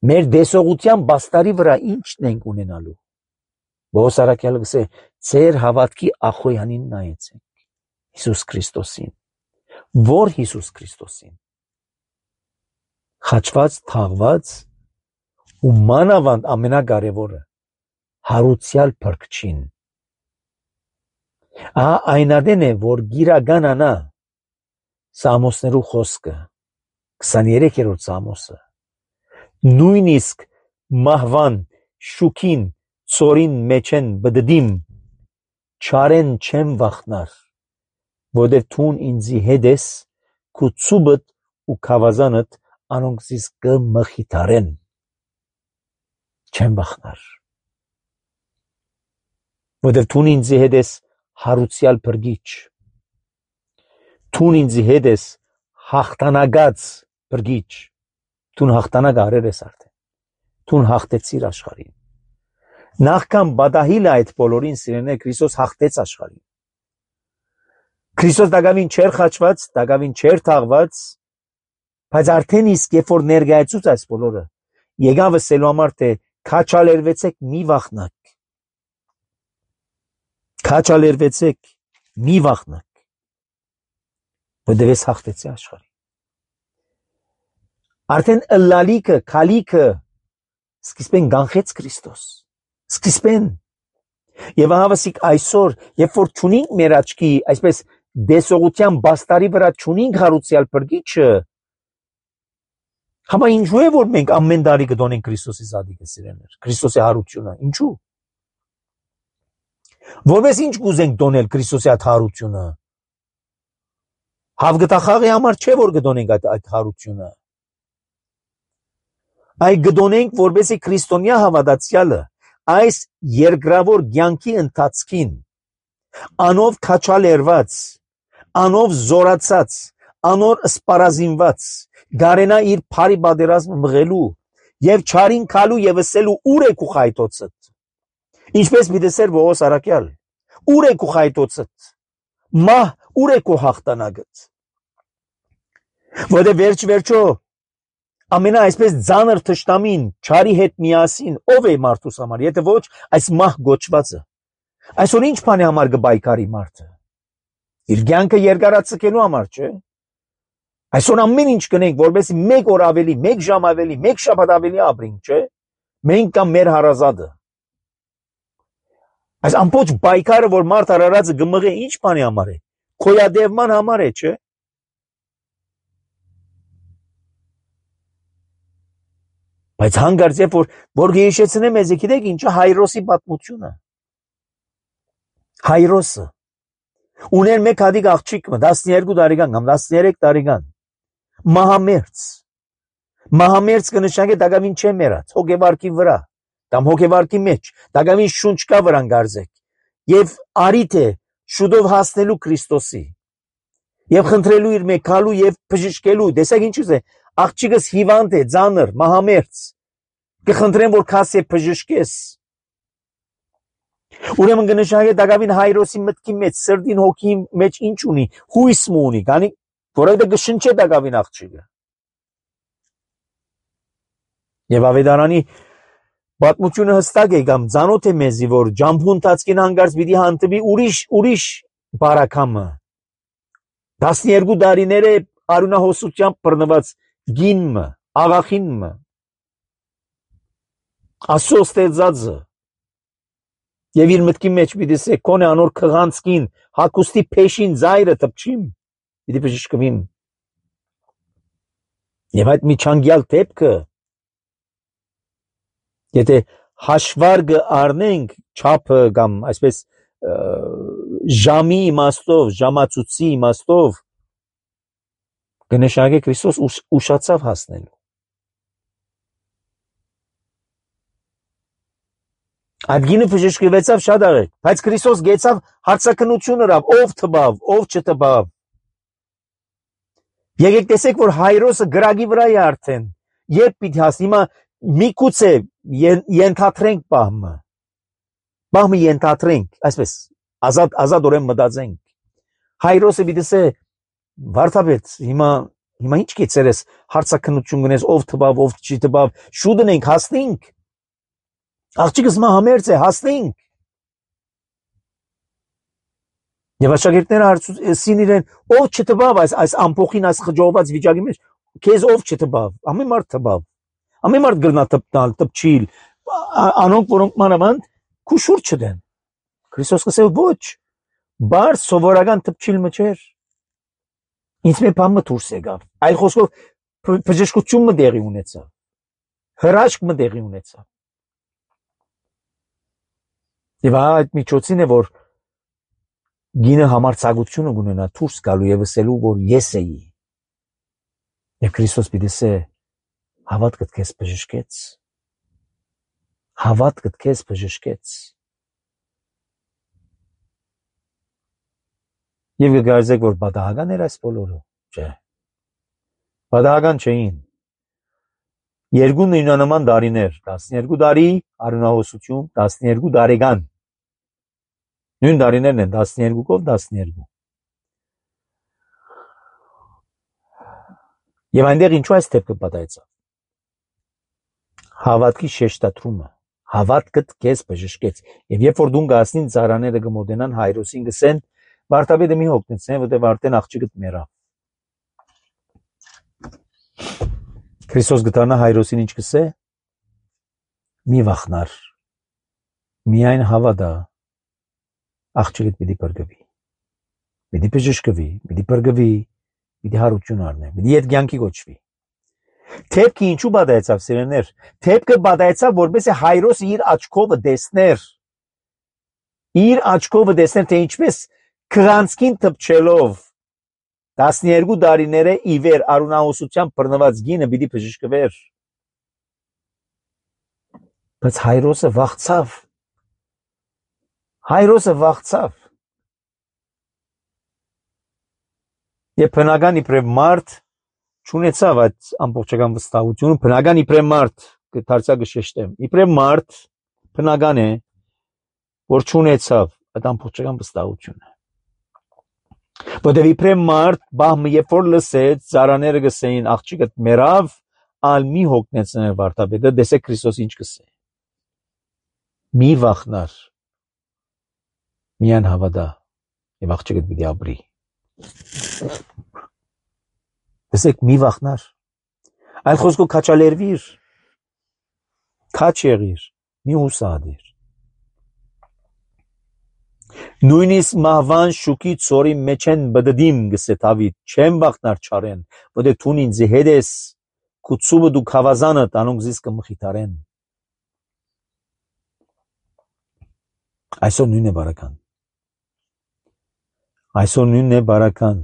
Մեր դեսողության բաստարի վրա ինչն ենք ունենալու։ Բողոս առաքյալը գսե ձեր հավատքի ախոյանին նայեցեք Հիսուս Քրիստոսին։ Որ Հիսուս Քրիստոսին։ Խաչված, թաղված ու մանավանդ ամենակարևորը հարուցյալ փրկչին։ Այնադեն է, որ գիրականանա Սամոսներու խոսքը, 23-րդ Սամոսը, նույնիսկ մահվան, շուքին, ծորին մեջեն բդդիմ, չարեն չեմ վախնար, որդև թուն ինձի հետ ես, քու ծուբդ ու քավազանդ անոնք զիս կմխիթարեն, չեմ վախնար, որդև թուն ինձի հետ ես հարուցյալ փրկիչ, թուն ինձի հետ ես հաղթանակած փրկիչ, թուն հաղթանակ արել ես արդեն, թուն հաղթեցիր աշխարհին։ Նախքան բադահիլը այդ բոլորին սիրեներ Քրիստոս հաղթեց աշխարհին։ Քրիստոս դակավին չէր խաչված, դակավին չէր թաղված, բայց արդեն իսկ երբ որ ներկայացուց այս բոլորը, եկավ ասելու համար թե քաչալերվեցեք մի վախնակ։ Քաչալերվեցեք մի վախնակ, որտեղ ես հաղթեցի աշխարհին։ Արդեն ըլլալիքը, քալիքը սկիզբեն գանխեց Քրիստոս, սկիզբեն։ Եվ ահավասիկ այսօր, երբ որ չունենք մեր աչքի, այսպես դեսողության բաստարի վրա չունենք հարուցյալ փրկիչը, համա ինչու է որ մենք ամեն տարի կդոնենք Քրիստոսի զադիկը սիրեներ, Քրիստոսի հարությունը, ինչու։ Որպես ինչ կուզենք դոնել Քրիստոսի այդ հարությունը։ Հավգտախաղի համար չէ որ կդոնենք այդ հարությունը։ Այդ կդոնենք որպեսզի քրիստոնյա հավատացյալը այս երկրավոր կյանքի ընթացքին անով քաչալերված, անով զորացած, անոր սպառազինված, գարենա իր բարի պատերազմը մղելու եւ չարին քալու եւ ասելու ուր է քու խայտոցդ։ Ինչպես միտեսեր Բողոս առաքյալ, ուր է քու խայտոցդ։ Մահ ուր է քու հաղթանակդ։ Որտե վերջո ամենա այսպես ծանր թշնամին չարի հետ միասին ով է մարդուս համար, եթե ոչ այս մահ գոչվածը։ Այսօր ինչ բանի համար կբայքարի մարդը։ Իր կյանքը երկարացկելու համար, չէ։ Այսօր ամեն ինչ կնենք, որովհետեւ մեկ օր ավելի, մեկ ժամ ավելի, մեկ շաբաթ ավելի ապրենք, չէ։ Մենք կամ մեր հարազատը։ Այս ամբողջ բայկարը, որ մարդ արարածը գմղե ինչ բանի համար է, քոյադևման համար է, չէ։ Բայց հանգարց երբ որ գեշեցնեմ մեզ, գիտեք ինչը Հայրոսի պատմությունը։ Հայրոսը ուներ մեկ հատիկ աղջիկ 12 տարեկան կամ 13 տարեկան, մահամերձ կնշանակե դակավին չէ մեռած, հոգեվարքի վրա, կամ հոգեվարքի մեջ, դակավին շունչ կա վրան գարձեք, եւ արիթ է շուտով հասնելու Քրիստոսի, եւ խնդրելու իր մեկալու եւ բժշկելու, տեսեք ինչ է, աղջիկս հիվանդ է, ծանր, մահամերձ, կխնդրեմ որ քասե բժշկես։ Ուրեմն կնշանակե դակավին Հայրոսի մտքի մեջ, սրտին հոգի մեջ ինչ ունի, հույս ունի, քանի որովհետեւ կշնչե դակավին աղջիկը։ Եվ ավետարանի պատմությունը հստակ է կամ ծանոթ է մեզի, որ ջամփու ընթացքին հանգարց պիտի հանդիպի ուրիշ բարակամը։ 12 տարիներ է արյունահոսությամբ բռնված գինը, աղախինը, Աստծո ստեղծածը։ Եվ իր մտքի մեջ պիտի սե կոնե անոր քղանցքին հակուստի փեշին զայրը տպչիմ, պիտի բժշկվիմ։ Եվ այդ միջանկյալ դեպքը, եթե հաշվարկը առնենք չափը կամ այսպես ժամի իմաստով, ժամացույցի իմաստով, կնշանակե Քրիստոս ուշացավ հասնելու։ Այդ գինը բժշկվեցավ շատ արագ, բայց Քրիստոս գեցավ հարցաքննություն ըրավ, ով թվավ, ով չթվավ։ Եկեք տեսեք, որ Հայրոսը գրագի վրա է արդեն, երբ պիտի հասնի, հիմա միգուցե ենթադրենք բահմը ենթադրենք, այսպես, ազատորեն մտածենք։ Հայրոսը պիտի ասե, վարդապետ, հիմա ինչ կեցերես, հարցաքննություն գնես, ով թվավ, ով չի թվավ, շուտ ենք, հասնենք։ Աղջիկս մա համերձ է, հասնենք։ Եվ աշակերտները հարցին իրեն, ով չթվավ այս ամփոխին, այս խջովված վիճակի մեջ, քեզ ով չթվավ, ամեն մարդ թվավ, ամեն մարդ գրնա թպտալ, թպչիլ, անոնք, որոնք մանավանդ քուշուր չդեն։ Քրիստոս կսե ոչ, բար սովորական թպչիլ մջեր, ինձ մի բան մտուրս եկավ, այլ խոսքով բժշկություն մտեղի ունեցավ, հրաշք մտեղի ունեցավ։ Եվ այդ միջոցին է, որ գինը համարձակությունը գունենա դուրս գալու եւ ասելու, որ ես էի։ Եվ Քրիստոս պիտի ասե, հավատքդ քեզ բժշկեց։ Հավատքդ քեզ բժշկեց։ Եվ կգարձեք, որ պատահական էր այս բոլորը, չէ։ Պատահական չէին։ Երկու նույնանման տարիներ, 12 տարի արյունահոսություն, 12 տարեկան։ Նույն տարիներն են 12-ով 12։ Եվ այնտեղ ինչու այս դեպքը պատահեցավ։ Հավատքի շեշտադրումը, հավատքդ քեզ բժշկեց։ Եվ երբ որ դուն գասնին ծառաները կմոտենան Հայրոսին գսեն, վարդապետը մի հոգնեցեն, որտեղ արդեն աղջիկդ մեռավ։ Քրիստոս գտանա Հայրոսին ինչ կսե։ Մի վախնար, միայն հավատա, աղջիկդ պիտի բրգվի, պիտի բժշկվի, պիտի բրգվի, պիտի հարություն առնի, պիտի ետ կյանքի կոչվի։ Թեփքը ինչու պատահեցավ, սիրելիներ։ Թեփքը պատահեցավ, որպեսզի Հայրոսը իր աչքովը տեսներ, թե ինչպես քրանցքին թփչելով 12 տարիները ի վեր արյունահոսությամբ բռնված գինը պիտի բժշկվեր։ Բայց Հայրոսը վախցավ։ Եվ բնական իբրև մարդ չունեցավ այդ ամբողջական վստահությունը, բնական իբրև մարդ դարձյալ կշեշտեմ, իբրև մարդ բնական է, որ չունեցավ այդ ամբողջական վստահությունը։ Որտեւ իբրև մարդ բահմը երբ որ լսեց, ծառաները գսեին աղջիկդ մեռավ, ալ մի հոգնեցներ վարդապետը, տեսեք Քրիստոս ինչ կսե։ Մի վախնար, միայն հավատա եւ աղջիկդ պիտի ապրի։ Տեսեք մի վախնար, այլ խոսքով քաչալերվիր, քաչ եղիր, մի հուսադիր։ Նույնիսկ մահվան շուքի ծորի մեջ են բդդիմ գսե Դավիթ, չեմ վախնար չարեն, որտեղ դու ինձ հետ ես, քու ծուբը դու քավազանը տանոնք զիս կմխիթարեն։ Այսօր նույնն է բարական։ Այսօր նույնն է բարական։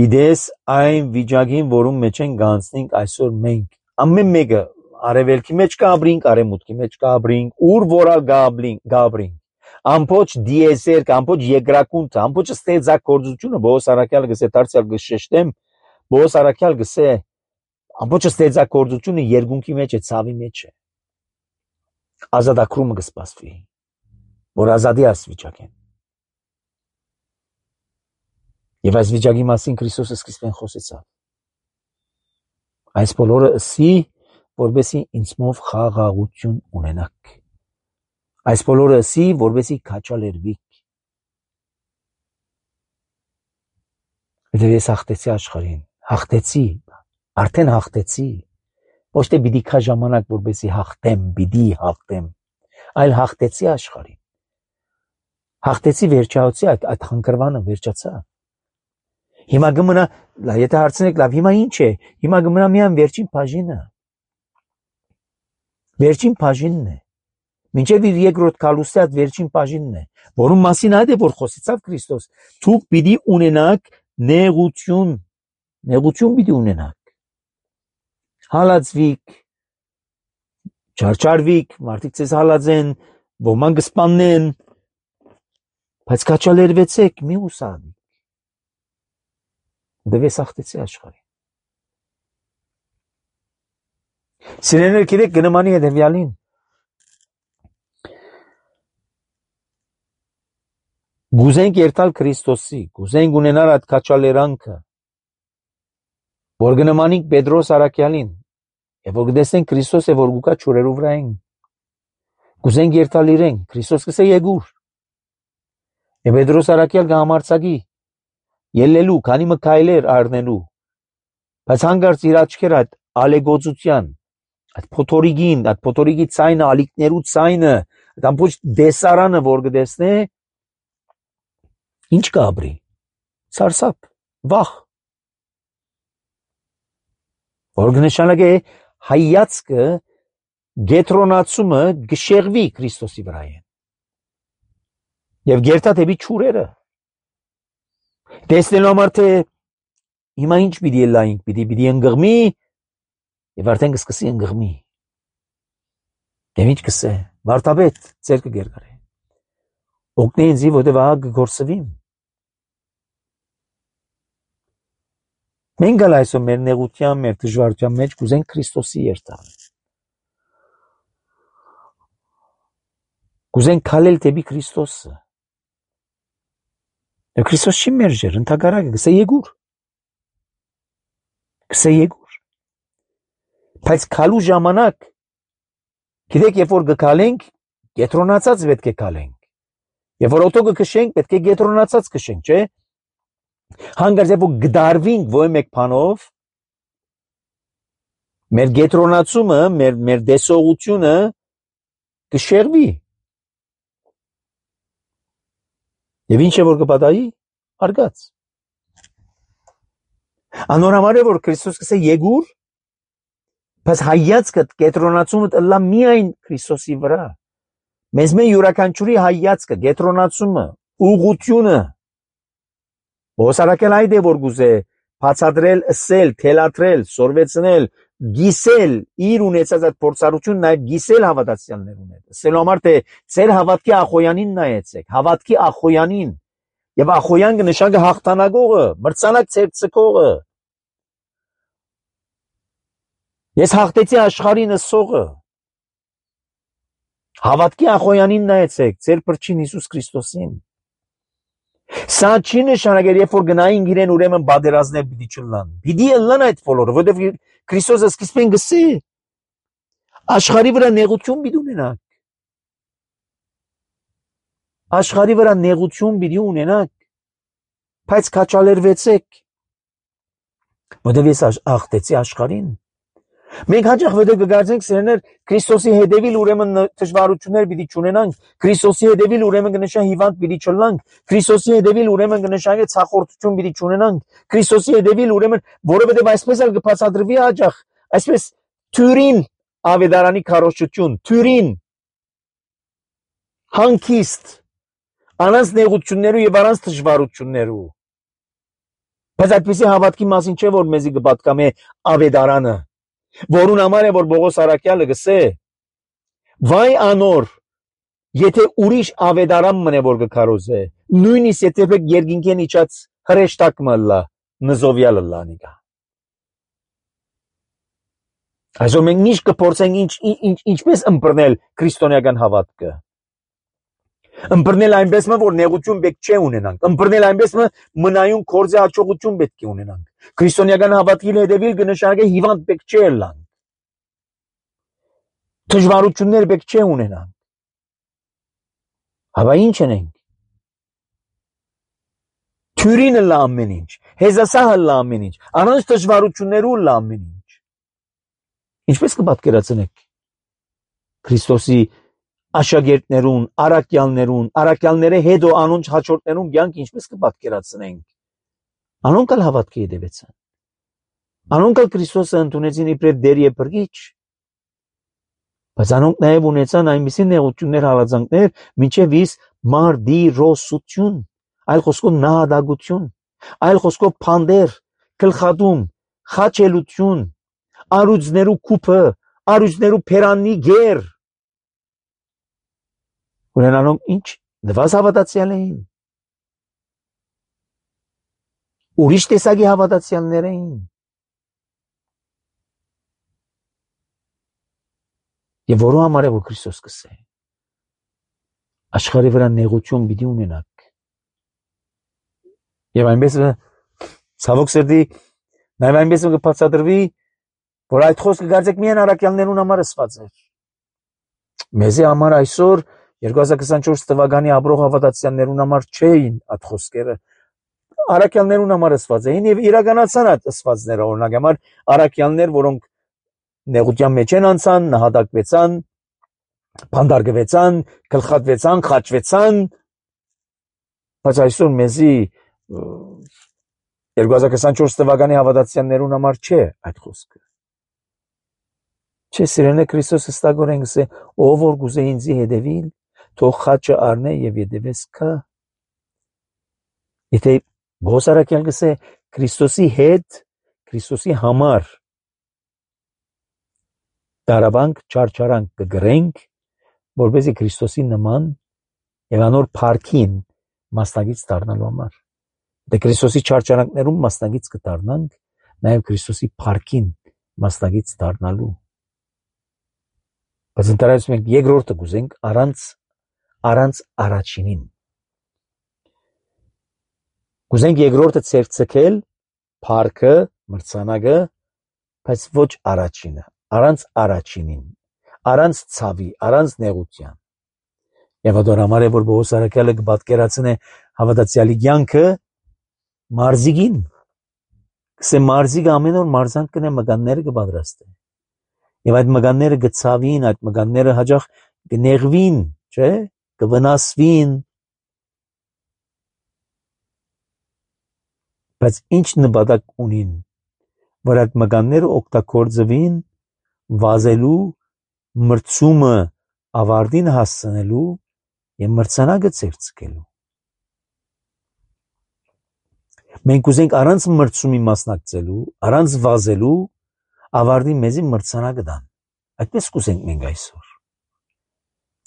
Իդես այն վիճակին, որում մեջ են գանցնենք այսօր մենք, ամեն մեկը արևելքի մեջ կաբրինք, արևմուտքի մեջ կաբրինք, ուր որալ գաբրինք, ամբողջ դիեզերք, ամբողջ երկրակունթը, ամբողջ ստեղծագործությունը, Բոս Արաքյալը գսե դարձյալ գշեշտեմ, Բոս Արաքյալ գսե ամբողջ ստեղծագործությունը երկունքի մեջ է, ցավի մեջ է։ Ազատագրումը կսպասվի, որ ազատի այս վիճակեն։ Եվ այս վիճակի մասին Քրիստոսը սկիզբեն խոսեցավ։ Այս բոլորը ասի, որպեսզի ինձմով խաղաղություն ունենաք։ Այս բոլորը ասի, որպեսզի քաչալերվիք։ Եվ ես հաղթեցի աշխարհին, արդեն հաղթեցի։ Ոչ թե պիտի քա ժամանակ, որպեսզի հաղթեմ, այլ հաղթեցի աշխարհին։ Հաղթեցի վերջացի այդ խանգարվանը վերջացա։ Հիմա գմնա, եթե հարցնեք, լավ, հիմա ինչ է։ Հիմա գմնա միայն վերջին բաժինը։ Վերջին բաժինն է։ Մինչև իր երկրորդ քալուստի այդ վերջին բաժինն է, որում մասին այդ է որ խոսեցավ Քրիստոս։ Դուք պիտի ունենաք նեղություն պիտի ունենաք։ Հալածվիք, չարչարվիք, մարդիկ ձեզ հալածեն, ոմանք կսպանեն, բայց քաչալերվեցեք, մի ուսավիք։ Դե սախտեցի աշխարհին։ Սիրելիներ, գիտեք գնամանի հետևյալին։ Գուզենք երթալ Քրիստոսի, գուզենք ունենալ այդ քաչալերանքը, որ գնամանինք Պետրոս Արաքյալին, եւ որ գտեսնենք Քրիստոսը, որ գուկա ճուրերու վրա են, գուզենք երթալ իրեն, Քրիստոս կսե եկուր, եւ Պետրոս Արաքյալ կհամարցակի, ելնելու, քանի մկայլեր առնելու, բայց հանգարց իր աչքերը այդ ալեգոծության, այդ փոթորիկի ցայնը, ալիքներու ցայնը, այդ ամբողջ դեսարանը, որ գտեսնե, ինչ կաբրի, սարսափ, վախ, որ կնշանակե հայացքը գետրոնացումը գշեղվի Քրիստոսի վրա են, եւ գերտա դեպի ճուրերը, տեսնելու համար թե հիմա ինչ պիտի լայնք, պիտի ընկղմի, եւ արդեն կսկսի ընկղմի, դեմ ինչ կսե, վարտաբետ, ձերքը գերգարե, օգնե ինձի, որտեւ ահա կգործվիմ, մենք գալ այսօր մեր նեղության, մեր դժվարության մեջ կուզենք Քրիստոսի երթալ, կուզենք քալել դեպի Քրիստոսը, եւ Քրիստոս չի մերժեր, ընդհակառակը գսե եկուր, բայց քալու ժամանակ, գիտեք, երբ որ գքալենք, գետրոնացած պետք է քալենք, երբ որ օտո կքշենք, պետք է գետրոնացած քշենք, չէ՞, հանգարց երբ որ գդարվինք ոյ մեկ բանով, մեր գետրոնացումը, մեր դեսողությունը կշեղվի, եւ ինչ է որ կպատահի, արգած, անորամար է որ Քրիստոս կսե եկուր, բայց հայացքը գետրոնացումը տլա միայն Քրիստոսի վրա, մեզ մեն յուրաքանչյուրի հայացքը, գետրոնացումը, ուղղությունը, Ոսարակել այդ է որ գուզե, բացատրել, ըսել, թելատրել, սորվեցնել, գիսել, իր ունեցած այդ փորձառությունն այդ գիսել հավատացյալներուն հետ, ըսելու համար թե ձեր հավատքի ախոյանին նայեցեք, հավատքի ախոյանին, եւ ախոյան կնշանակե հաղթանակողը, մրցանակ ցերծկողը, ես հաղթեցի աշխարհին ըսողը, հավատքի ախոյանին նայեցեք, ձեր փրկին Հիսուս Քրիստոսին, սա չի նշանակել, երբ որ գնային իրեն ուրեմն բادرազներ պիտի չլան, պիտի ըլլան այդ բոլորը, որովհետև Քրիստոսը սկիզբին գսե, աշխարհի վրա նեղություն պիտի ունենաք, աշխարհի վրա նեղություն պիտի ունենաք, բայց քաչալերվեցեք, որովհետև ես աղթեցի աշխարհին, մենք հաճախ որտեղ կգարձենք սերներ Քրիստոսի հետևիլ ուրեմն դժվարություններ պիտի չունենանք, Քրիստոսի հետևիլ ուրեմն կնշան հիվանդ պիտի չլանք, Քրիստոսի հետևիլ ուրեմն կնշան ցախորտություն պիտի չունենանք, Քրիստոսի հետևիլ ուրեմն որովհետև այսպես էլ կբացատրվի հաճախ, այսպես թյուրին ավետարանի քարոզչություն, թյուրին հանգիստ առանց նեղություններու եւ առանց դժվարություններու, բայց այդպեսի հավատքի մասին չէ որ մեզի կպատկամե ավետարանը, որուն համար է որ Պողոս Արաքյալը գսե, վայ անոր, եթե ուրիշ ավետարան մնե որ կքարոզե, նույնիսկ եթե երկինքեն իջած հրեշտակ մլա, նզովյալը լանիկա։ Այսօր մենք ինչ կփորձենք ինչպես ըմբռնել քրիստոնեական հավատքը։ Ըմբռնել այնպես որ նեղություն պետք չէ ունենանք, ըմբռնել այնպես մնայուն կորձի հաջողություն պետք է ունենանք։ Քրիստոնեական հավատքի հետևիլ կնշանակե հիվանդ պետք չէ լանք։ Դժվարություններ պետք չէ ունենանք։ Հավա ինչ ենք։ Թյուրինը լա ամեն ինչ, հեզասահը լա ամեն ինչ, առանց դժվարություններու լա ամեն ինչ։ Ինչպես կպատկերացնեք Քրիստոսի աշակերտներուն, առաքյալները հետո անոնց հաջորդներուն կյանք ինչպես կպատկերացնենք։ Անոնք էլ հավատքի հետևեցան։ Անոնք էլ Քրիստոսը ընդունեցին իբրև Տեր եւ Փրկիչ։ Բայց անոնք նաև ունեցան այնպիսի նեղություններ, հալածանքներ, մինչև իս մարդիրոսություն, այլ խոսքով նահատակություն, այլ խոսքով փանդեր, գլխատում, խաչելություն, առյուծներու կուպը, առյուծներու փերաննի գեր։ Ուրեմն անոնք ինչ նվազ հավատացյալ էին։ Ուրիշ տեսակի հավատացյալներ էին։ Եվ որու համար է որ Քրիստոս կսե։ Աշխարհի վրա նեղություն պիտի ունենաք։ Եվ այնպես ցավոք սրտի նաև այնպես կբացատրվի, որ այդ խոսքը գարձեք միայն առաքյալներուն համար ասված է։ Մեզի համար այսօր 2024 թվականի ապրող հավատացյալներուն համար չէին այդ խոսքերը։ Առաքյալներուն համար ասված էին եւ իրականացան այդ ասվածները, օրինակ համար առաքյալներ, որոնք նեղության մեջ են անցան, նահատակվեցան, փանդարգվեցան, գլխատվեցան, խաչվեցան, բայց այսօր մեզի 2024 թվականի հավատացյալներուն համար չէ այդ խոսքը։ Չէ, սիրելիներ, Քրիստոս հստակորեն գսե, ով որ գուզե ինձի հետևիլ, թող խաչը առնե եւ հետևես քա։ Եթե բոսարակյալ գսե Քրիստոսի հետ, Քրիստոսի համար դարաբանք չարչարանք կգրենք, որպեսզի Քրիստոսի նման եւ անոր փառքին մասնագից դառնալու համար։ Դե Քրիստոսի չարչարանքներում մասնագից կդառնանք, նաեւ Քրիստոսի փառքին մասնագից դառնալու։ Բայց ընտրած մենք երկրորդը գուզենք առանց առաջինին։ Գուզենք երկրորդը ցերցկել փառքը, մրցանակը, բայց ոչ առաջինը, առանց առաջինին, առանց ցավի, առանց նեղության։ Եվ այդ համար է որ Պողոս առաքյալը կպատկերացնե հավատացյալի կյանքը մարզիկին։ Կսե մարզիկը ամեն օր մարզանք կնե մգանները կպատրաստե։ Եվ այդ մգանները կցավին, այդ մգանները հաճախ կնեղվին, չէ՞, կվնասվին։ Բայց ինչ նպատակ ունին, որ այդ մգանները օգտագործվին վազելու, մրցումը ավարտին հասցնելու եւ մրցանակը ցերցկելու։ Մենք ուզենք առանց մրցումի մասնակցելու, առանց վազելու ավարտի մեզի մրցանակը տան։ Այդպես կուզենք մենք այսօր։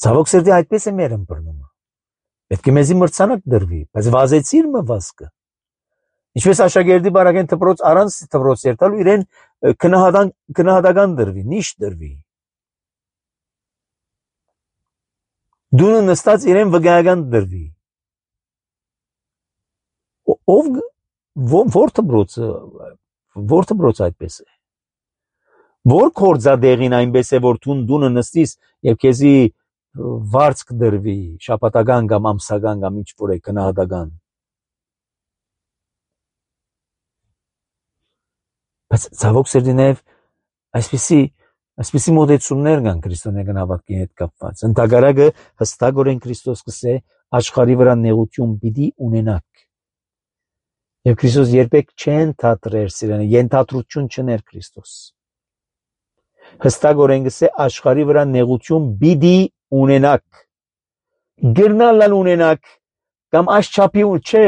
Ցավոք սրտի այդպես է մեր ըմբռնումը։ Պետք է մեզի մրցանակ դրվի, բայց վազեցիր մը վազկը։ Ինչպես աշակերտի բարակեն դպրոց առանց դպրոց երթալու իրեն քնահատական դրվի, նիշ դրվի։ Դունը նստած իրեն վգայական դրվի։ Որ դպրոցը այդպես է։ Որ կորձադեղին այնպես է, որ դունը նստիս եւ քեզի վարձք դրվի, շաբաթական կամ ամսական կամ ինչ որ է քնահատական։ Բայց ցավոք սրտի նաև այսպիսի մոտեցումներ կան քրիստոնեական հավատքի հետ կապված։ Ընդհակառակը հստակորեն Քրիստոս կսե աշխարհի վրա նեղություն պիտի ունենաք։ Եվ Քրիստոս երբեք չեն թատրեր սիրանը, ենթադրություն չներ Քրիստոս։ Հստակորեն կսե աշխարհի վրա նեղություն պիտի ունենաք։ Գրնալալ ունենաք կամ աշխապի չէ,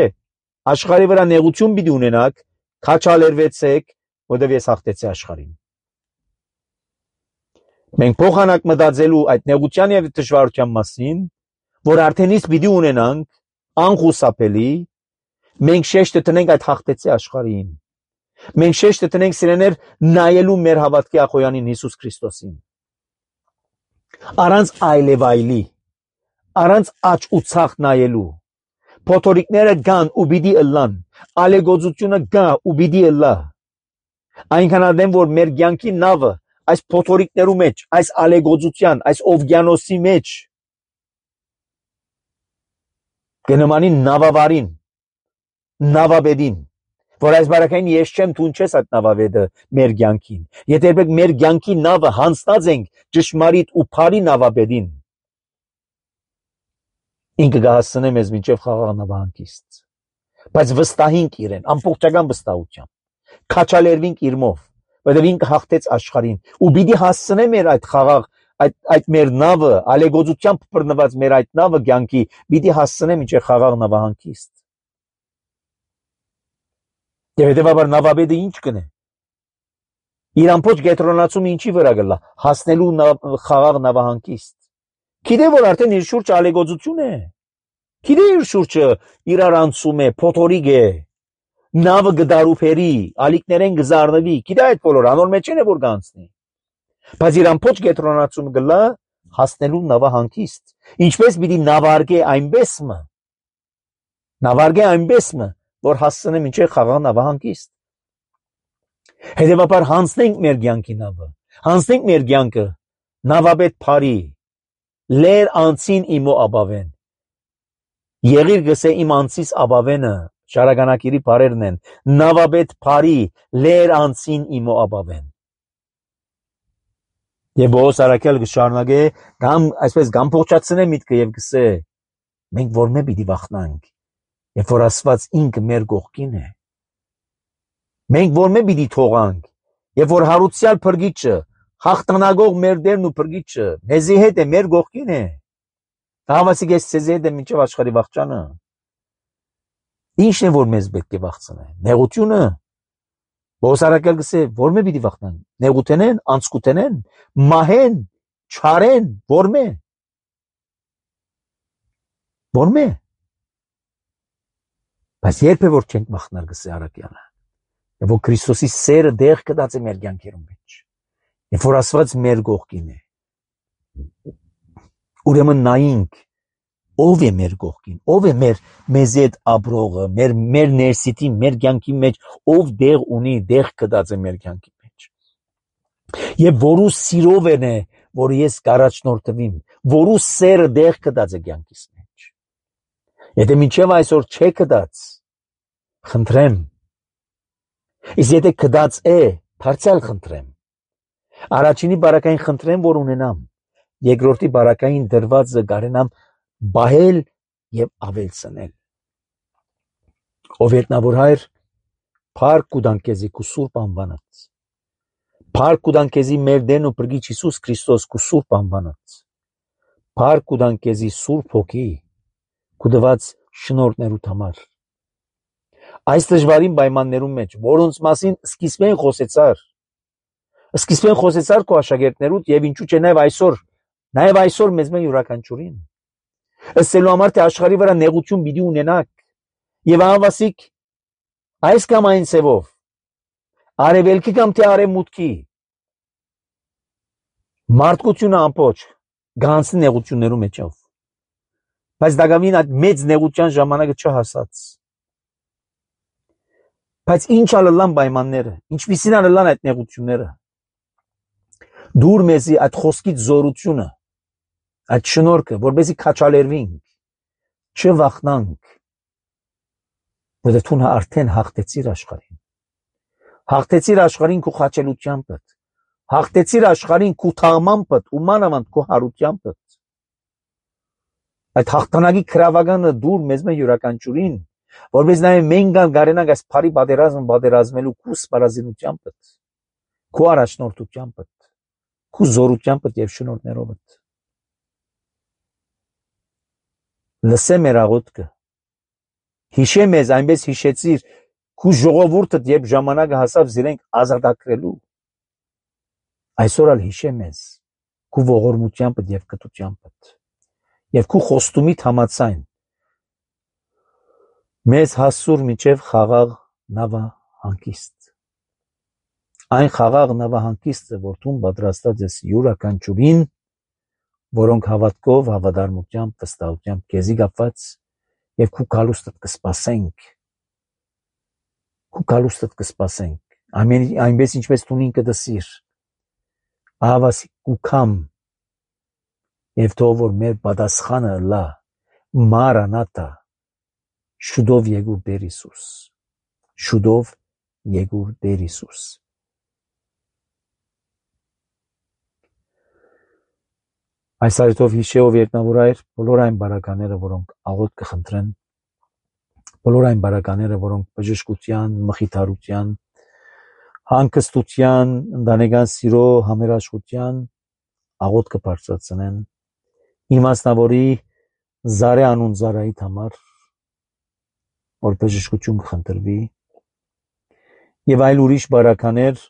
աշխարհի վրա նեղություն պիտի ունենաք, քաչալերվեցեք, որտեղ ես հաղթեցի աշխարհին։ Մենք փոխանակ մտածելու այդ նեղության եւ դժվարության մասին, որ արդեն իսկ պիտի ունենանք, անխուսափելի, մենք շեշտը տնենք այդ հաղթեցի աշխարհին։ Մենք շեշտը տնենք սիրեներ նայելու մեր հավատքի ախոյանին Հիսուս Քրիստոսին։ Առանց այլևայլի, առանց աչ ու ցախ նայելու, փոթորիկները կան ու պիտի ըլլան, ալեգոծությունը կա ու պիտի ըլլա։ Այնքան արդեն որ մեր կյանքի նավը այս փոթորիկներու մեջ, այս ալեգոծության, այս օվկիանոսի մեջ կնմանի նավավարին, նավաբեդին, որ այս բարակային ես չեմ թունչես այդ նավաբեդը մեր կյանքին։ Եթե երբեք մեր կյանքի նավը հանձնած ենք ճշմարիտ ու բարի նավաբեդին, ինքը կհասցնե մեզ մինչև խաղաղ նավահանգիստ։ բայց վստահինք իրեն, ամբողջական վստահությամբ, քաչալերվինք իրմով, որովհետև ինքը հաղթեց աշխարհին, ու պիտի հասցնե մեր այդ խաղաղ, այդ մեր նավը, ալեգոծությամբ բռնված մեր այդ նավը կյանքի, պիտի հասցնե մինչև խաղաղ նավահանգիստ։ Եվ հետևաբար նավաբեդը ինչ կնե։ Իր ամբողջ գետրոնացումը ինչի վրա գլա, հասնելու խաղաղ նավահանգիստ։ Գիտե որ արդեն իր շուրջը ալեգոծություն է։ Գիտե իր շուրջը իրար անցում է, փոթորիկ է, նավը գդարուփերի, ալիքներեն գզարնվի, գիտե այդ բոլոր անոր մեջ են որ գանցնի։ Բայց իր ամբողջ գետրոնացումը գլա հասնելու նավահանգիստ։ Ինչպես պիտի նավարգե այնպեսմը, որ հասցնե մինչև խաղաղ նավահանգիստ։ Հետևաբար հանցնենք մեր կյանքի նավը, հանցնենք մեր կյանքը, նավաբեդ փարի, լեր անցին իմո աբավեն։ Եղիր գսե իմ անցիս աբավենը, շարականակիրի բարերն են, նավաբեդ փարի, լեր անցին իմո աբավեն։ Եվ Պողոս առաքյալ կշարունակե, այսպես գամփոխացնե միտքը եւ գսե, մենք որ մե պիտի վախնանք, եւ որ Աստված ինքը մեր կողքին է։ Մենք որ մե պիտի թողանք, եւ որ հարուցյալ փրկիչը, հաղթանակող մեր Տերն ու փրկիչը, մեզի հետ է, մեր կողքին է։ Հավասիկ ես ցեզ հետ է մինչև աշխարհի վախճանը։ Ինչն է որ մեզ պետք է վախցնե։ Նեղությունը։ Պողոս առաքյալ գսե, որ մե պիտի վախնան։ Նեղութենեն, անցկութենեն, մահեն, չարեն, որ մե։ Որ մե։ Բայց երբ է որ չենք վախնար գսե առաքյալը։ Եվ որ Քրիստոսի սերը դեղ կդած է մեր կյանքերում մեջ։ Եվ որ Աստված մեր կողքին է։ Ուրեմն նայինք, ով է մեր կողքին, ով է մեզ հետ ապրողը, մեր ներսիտի, մեր կյանքի մեջ, ով դեղ ունի, դեղ կդած է մեր կյանքի մեջ։ Եվ որու սիրով է, որ ես կառաջնորդվիմ, որու սերը դեղ կդած է կյանքիս մեջ։ Եթե մինչև այսօր չէ կդած, խնդրեմ, իսկ եթե կդած է, դարձյալ խնդրեմ, առաջինի բարակային խնդրեմ, որ ունենամ, երկրորդի բարակային դրվածը կարենամ բահել եւ ավելցնել։ Ով ետնավոր հայր, փառք կուտան քեզի քու սուրբ անվանած։ Փառք կուտան քեզի մեր Տերն ու Փրկիչ Հիսուս Քրիստոս քու սուրբ անվանած։ Փառք կուտան քեզի Սուրբ Հոգի քու դված շնորհներուդ համար։ Այս դժվարին պայմաններում մեջ, որոնց մասին սկիզբեն խոսեցար քո աշակերտներուդ եւ ինչու՞ չէ նաեւ այսօր մեզ մեն յուրաքանչյուրին։ Ըսելու համար թե աշխարհի վրա նեղություն պիտի ունենաք եւ անվասիկ այս կամ այն ցևով արևելքի կամ թե արևմուտքի մարդկությունը ամբողջ գանցի նեղություններու մեջով, բայց դակամին այդ մեծ նեղության ժամանակը չհասած, բայց ինչ ալլան պայմանները, ինչպիսին ալլան այդ նեղությունները, դուր մեզի այդ խոսքից զորությունը, այդ շնորհքը, որպեսզի քաչալերվինք, չվախնանք, որովհետև դու արդեն հաղթեցիր աշխարհին։ Հաղթեցիր աշխարհին քո խաչելությամբ, հաղթեցիր աշխարհին քո թաղմամբ ու մանավանդ քո հարությամբ։ Այդ հաղթանակի քրավականը դուր մեզ մե յուրաքանչյուրին, որպես նաև մենք գարենանք այս բարի պատերազմելու քո սպառազինությամբ, քո առաջնորդությամբ, քո զորությամբ եւ շնորհներով։ Լսե մեր աղոթքը, հիշե մեզ, այնպես հիշեցիր քու ժողովուրդը, երբ ժամանակը հասավ զիրենք ազատագրելու, այսօր ալ հիշե մեզ քու ողորմությամբ եւ կտությամբ եւ քու խոստումիդ համաձայն մեզ հասցուր մինչև խաղաղ նավահանգիստ, այն խաղաղ նավահանգիստը, որ դու պատրաստած ես յուրաքանչյուրին, որոնք հավատքով, հավատարմությամբ, վստահությամբ քեզի կապված եւ քու գալուստդ կսպասենք, այնպես ինչպես դու ինքդ դսիր, ահավասիկ կուքամ եւ թող որ մեր պատասխանը լա Մարանաթա, շուտով եկուր Տեր Հիսուս, շուտով եկուր Տեր Հիսուս։ Այս արյթով հիշեով երկնավոր այր բոլոր այն բարակաները, որոնք աղոթ կխնդրեն բոլոր այն բարակաները, որոնք բժշկության, մխիթարության, հանգստության, ընտանեկան սիրո, համերաշխության աղոթք կբարձրացնեն, իմաստնավորի Զարե անուն Զարայիդ համար, որ բժշկություն կխնդրվի, եւ այլ ուրիշ բարականեր,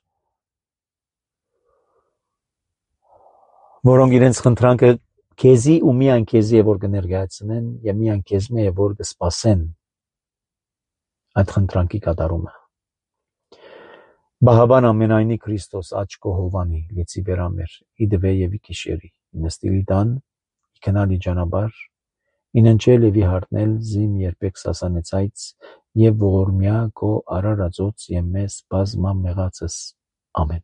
որոնք իրենց խնդրանքը քեզի ու միայն քեզի է որ կներկայացնեն եւ միայն քեզ մե է որ կսպասեն այդ խնդրանքի կատարումը։ Բահաբան ամենայնի Քրիստոս աչքո հովանի լիցի բերամեր իդվե եւ իքիշերի նստիլի տան իքնալի ջանաբար ինընչել եւ իհարնել զիմ երբեք սասանեցայց եւ ողորմյա կո արարածոց եւ մեզ բազմա մեղածս ամեն